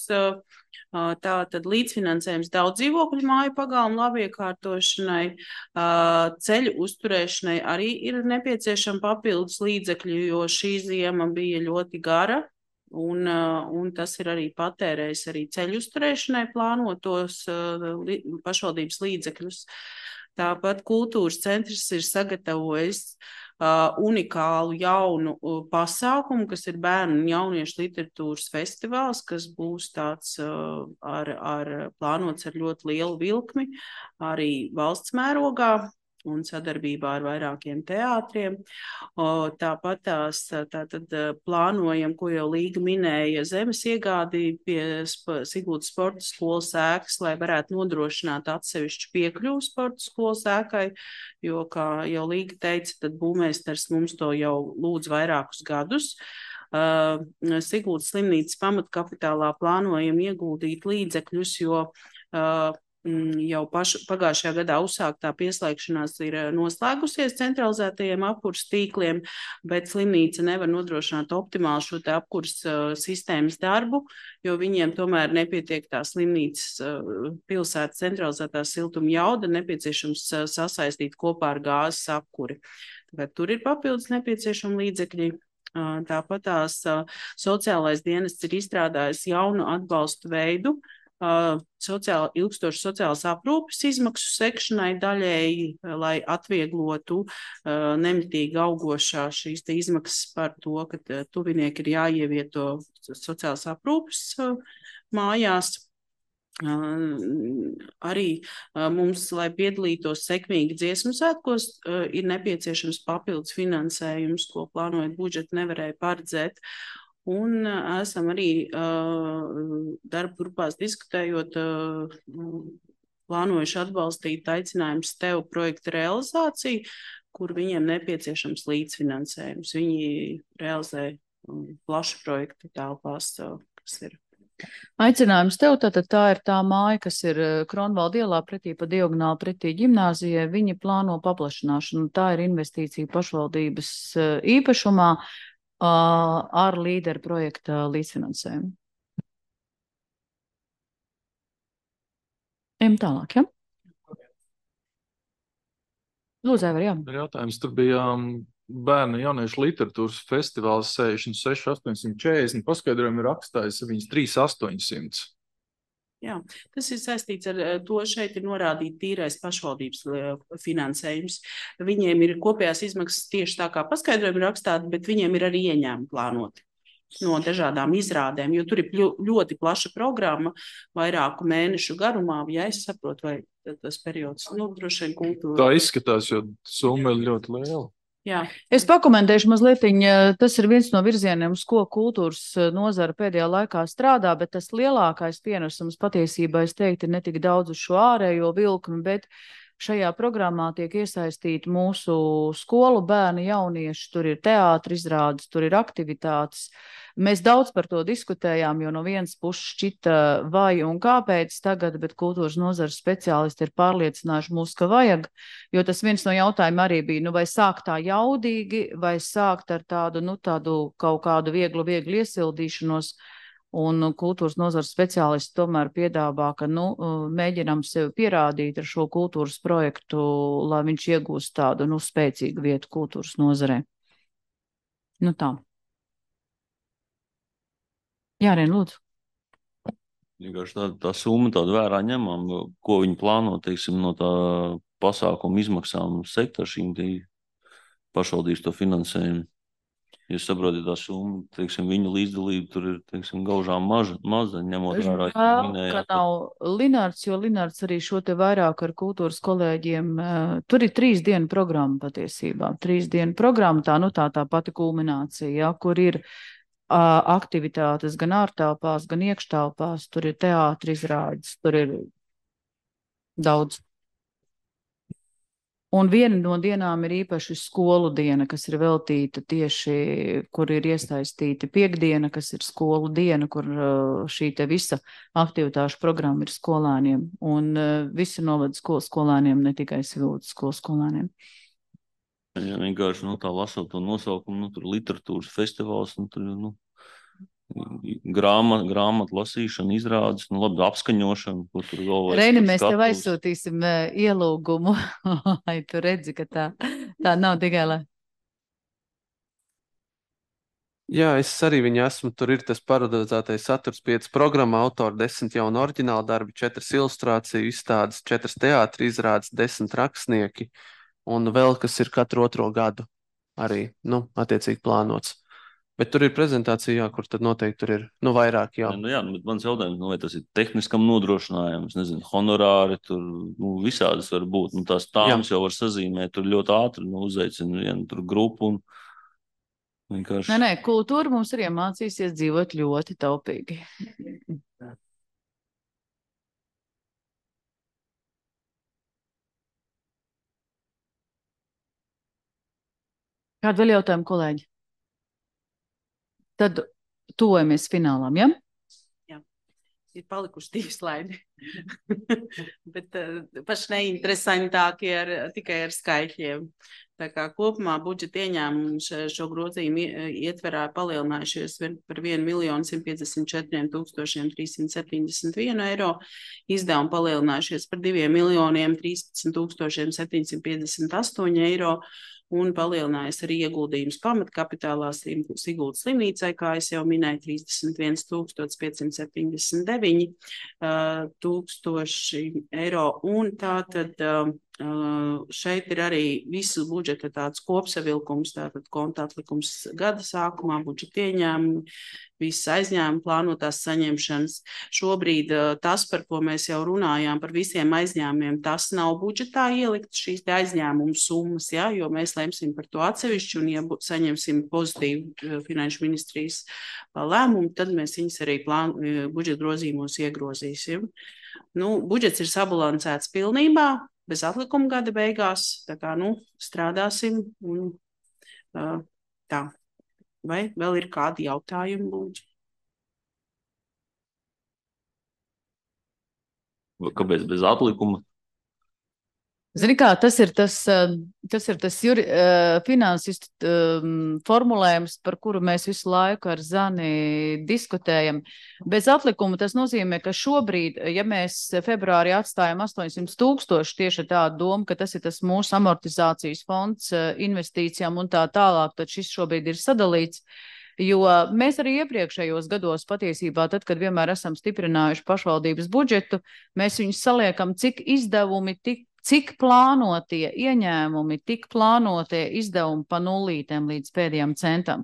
Tātad līdzfinansējums daudz dzīvokļu māju pagalmu labiekārtošanai, ceļu uzturēšanai arī ir nepieciešama papildus līdzekļu, jo šī ziema bija ļoti gara. Un, un tas ir arī patērējis arī ceļu uzturēšanai plānotos li, pašvaldības līdzekļus. Tāpat kultūras centrs ir sagatavojis uh, unikālu jaunu uh, pasākumu, kas ir bērnu un jauniešu literatūras festivāls, kas būs tāds uh, ar, ar plānots ar ļoti lielu vilkmi, arī valsts mērogā un sadarbībā ar vairākiem teātriem. O, tāpat tās tātad plānojam, ko jau Līga minēja, zemes iegādi pie Siguldas sporta skolas ēkas, lai varētu nodrošināt atsevišķu piekļuvu sporta skolas ēkai, jo, kā jau Līga teica, tad būvmeistars mums to jau lūdz vairākus gadus. Uh, Siguldas slimnīcas pamatkapitālā plānojam ieguldīt līdzekļus, jo uh, jau paš, pagājušajā gadā uzsāktā pieslēgšanās ir noslēgusies centralizētajiem apkurs tīkliem, bet slimnīca nevar nodrošināt optimāli šo te apkurs uh, sistēmas darbu, jo viņiem tomēr nepietiek tā slimnīcas uh, pilsētas centralizētā siltuma jauda, nepieciešams uh, sasaistīt kopā ar gāzes apkuri. Tāpēc tur ir papildus nepieciešami līdzekļi. Uh, tāpat tās uh, sociālais dienests ir izstrādājis jaunu atbalstu veidu, Uh, sociāli, ilgstoši sociālas aprūpes izmaksu sekšanai daļēji, lai atvieglotu uh, nemitīgi augošā šīs te izmaksas par to, ka uh, tuvinieki ir jāievieto sociālas aprūpes uh, mājās. Uh, arī uh, mums, lai piedalītos sekmīgi dziesmu svētkos, uh, ir nepieciešams papildus finansējums, ko plānojot budžetu nevarēja paredzēt. Un uh, esam arī uh, darba grupās diskutējot, uh, plānojuši atbalstīt aicinājums tev projektu realizāciju, kur viņiem nepieciešams līdzfinansējums. Viņi realizē um, plašu projektu telpās, uh, kas ir. Aicinājums tev, tātad tā ir tā māja, kas ir Kronvalda ielā pretī pa diagonāli pretī ģimnāzijai. Viņi plāno paplašināšanu. Tā ir investīcija pašvaldības īpašumā ar līderu projekta līdzfinansējumu. Ejam tālāk, ja? Lūdzu, Aivar, jā. Ir jautājums, tur bija bērnu jauniešu literatūras festivāls sešdesmit seši astoņsimt četrdesmit, paskaidrojumi rakstājis viņas trīs astoņsimt. Jā, tas ir saistīts ar to, šeit ir norādīti tīrais pašvaldības finansējums. Viņiem ir kopējās izmaksas tieši tā kā paskaidrojumi rakstāti, bet viņiem ir arī ieņēmumi plānoti no dažādām izrādēm, jo tur ir ļoti plaša programma, vairāku mēnešu garumā, ja es saprotu, vai tas periods, nu, droši vien kultūra. Tā izskatās, jo summa ir ļoti liela. Jā. Es pakomentēšu mazliet, tas ir viens no virzieniem, uz ko kultūras nozara pēdējā laikā strādā, bet tas lielākais pienesums patiesībā, es teiktu, ir ne tik daudz uz šo ārējo vilkmi, bet šajā programmā tiek iesaistīti mūsu skolu bērni, jaunieši, tur ir teātri izrādes, tur ir aktivitātes. Mēs daudz par to diskutējām, jo no vienas puses šķita vai un kāpēc tagad, bet kultūras nozares speciālisti ir pārliecinājuši mūs, ka vajag, jo tas viens no jautājumiem arī bija, nu vai sākt tā jaudīgi, vai sākt ar tādu, nu tādu kaut kādu vieglu, vieglu iesildīšanos. Un kultūras nozares speciālisti tomēr piedāvā, ka nu, mēģinām sevi pierādīt ar šo kultūras projektu, lai viņš iegūst tādu nu, spēcīgu vietu kultūras nozarē. Nu tā. Jā, Rēn, lūdzu. Vienkārši tā, tā summa tāda vērā ņemam, ko viņi plāno, teiksim, no tā pasākuma izmaksām sekt ar šīm pašvaldības to finansējumu. Jūs saprotat, tā summa, teiksim, viņu līdzdalība tur ir, teiksim, gaužām maža, maza, ņemot vērā. Žēl, ka nav Linārds, jo Linārds arī šo te vairāk ar kultūras kolēģiem, tur ir trīs dienu programma patiesībā, trīs dienu programma, tā, nu tā tā pati kulminācija, ja, kur ir uh, aktivitātes gan ārtelpās, gan iekštelpās, tur ir teātri izrādes, tur ir daudz. Un viena no dienām ir īpaši skolu diena, kas ir veltīta tieši, kur ir iesaistīta piekdiena, kas ir skolu diena, kur šī te visa aktivitāšu programma ir skolēniem. Un visi novada skolu skolēniem, ne tikai Svildes skolu skolēniem. Jā, vienkārši, nu, tā lasot to nosaukumu, nu, tur literatūras festivāls, nu, tur, nu, grāmatu grāmat lasīšana, izrādes, nu labi, apskaņošana, ko tur vēl vajag. Reini, mēs tev aizsūtīsim ielūgumu, lai tu redzi, ka tā, tā nav tikai, lai. Jā, es arī viņu esmu, tur ir tas parodizētais saturs, piecas programma, autori, desmit jaunu oriģinālu darbi, četras ilustrāciju izstādes, četras teātri izrādes, desmit rakstnieki, un vēl kas ir katru otro gadu arī, nu, attiecīgi plānots. Bet tur ir prezentācija, jā, kur tad noteikti tur ir, nu, vairāk, jā. Nu, jā, bet mans jautājums, nu, vai tas ir tehniskam nodrošinājums, nezinu, honorāri, tur, nu, visādas var būt, nu, tās tāmas jau var sazīmēt, tur ļoti ātri, nu, uzaicina vienu tur grupu un vienkārši. Nē, nē, kultūra mums ir iemācīsies dzīvot ļoti taupīgi. Kādu vēl jautājumu, kolēģi? Tad tuvojamies finālam, ja? Jā, ir palikuši divi slaidi, bet uh, paši neinteresantākie ar, tikai ar skaitļiem. Tā kā kopumā budžeta ieņēmumi šo grozījumu ietverā palielinājušies par vienu miljonu simt piecdesmit četriem tūkstošiem trīssimt septiņdesmit vienu eiro, izdevumi palielinājušies par diviem miljoniem trīspadsmit tūkstošiem septiņsimt piecdesmit astoņi eiro, un palielinājies arī ieguldījums pamatkapitālā Siguldas slimnīcai, kā es jau minēju, trīsdesmit viens tūkstoši piecsimt septiņdesmit deviņi tūkstoši eiro, un tā tad Uh, šeit ir arī visu budžeta tāds kopsavilkums, tātad konta atlikums gada sākumā, budžeta ieņēmumi, visas aizņēmumi, plānotās saņemšanas. Šobrīd uh, tas, par ko mēs jau runājām, par visiem aizņēmumiem, tas nav budžetā ielikt šīs te aizņēmumu summas, ja, jo mēs lemsim par to atsevišķi, un ja saņemsim pozitīvu uh, finanšu ministrijas uh, lēmumu, tad mēs viņus arī plān, uh, budžeta grozījumos iegrozīsim. Nu, budžets ir sabalansēts pilnībā, bez atlikuma gada beigās, tā kā, nu, strādāsim un uh, tā. Vai vēl ir kādi jautājumi, lūdzu? Kāpēc bez atlikuma? Zini kā, tas ir tas, tas, ir tas juri, finansistu um, formulējums, par kuru mēs visu laiku ar Zani diskutējam. Bez atlikuma tas nozīmē, ka šobrīd, ja mēs februārī atstājam astoņsimt tūkstoši tieši ar tādu domu, ka tas ir tas mūsu amortizācijas fonds investīcijām un tā tālāk, tad šis šobrīd ir sadalīts. Jo mēs arī iepriekšējos gados patiesībā, tad, kad vienmēr esam stiprinājuši pašvaldības budžetu, mēs viņus saliekam, cik izdevumi, tik, cik plānotie ieņēmumi, tik plānotie izdevumi pa nullītēm līdz pēdējām centam.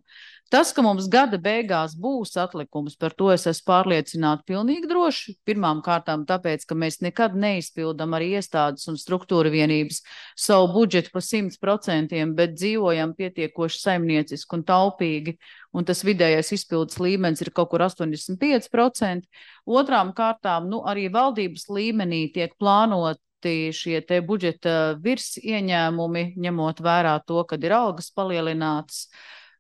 Tas, ka mums gada beigās būs atlikums, par to es esmu pārliecināta pilnīgi droši. Pirmām kārtām tāpēc, ka mēs nekad neizpildam arī iestādes un struktūra vienības savu budžetu pa simt procentiem, bet dzīvojam pietiekoši saimnieciski un taupīgi, un tas vidējais izpildes līmenis ir kaut kur astoņdesmit pieci procenti. Otrām kārtām, nu, arī valdības līmenī tiek plānoti šie te budžeta virs ieņēmumi, ņemot vērā to, kad ir algas palielinātas,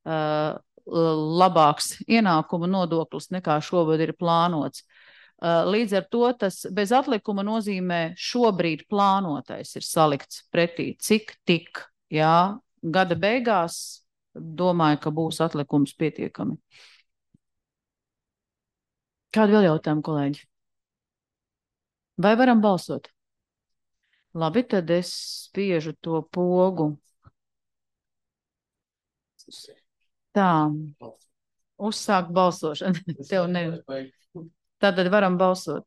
uh, labāks ienākuma nodoklis nekā šobrīd ir plānots. Līdz ar to tas bez atlikuma nozīmē šobrīd plānotais ir salikts pretī cik tik, jā, gada beigās domāju, ka būs atlikums pietiekami. Kādi vēl jautājumi, kolēģi? Vai varam balsot? Labi, tad es spiežu to pogu. Tā, uzsāk balsošanu. Tev ne. Tātad varam balsot.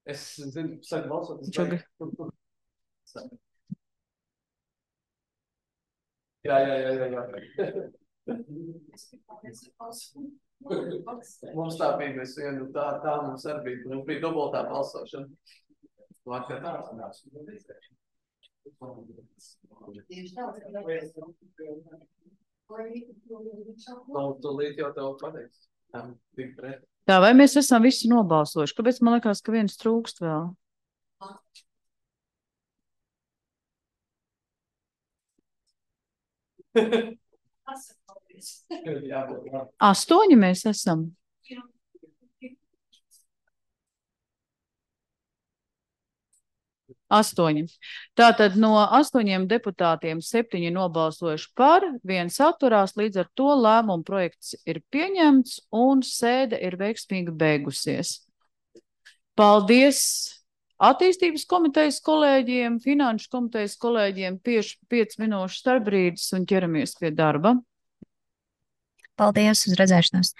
Es zinu, saka balsot. Čugi. Jā, jā, jā, jā, jā. Mums tā bija, mēs vienu, tā, tā mums arī bija, mums bija dubultā balsošana. Vakar tā. Nav tūlīt jau tev pateiks. Tā, vai mēs esam visi nobalsojuši? Kāpēc man liekas, ka viens trūkst vēl? Astoņi mēs esam. Astoņi. Tātad no astoņiem deputātiem septiņi nobalsojuši par, viens atturās, līdz ar to lēmuma projekts ir pieņemts un sēde ir veiksmīgi beigusies. Paldies attīstības komitejas kolēģiem, finanšu komitejas kolēģiem, pieci, pieci minūšu starpbrīdis un ķeramies pie darba. Paldies, uz redzēšanos!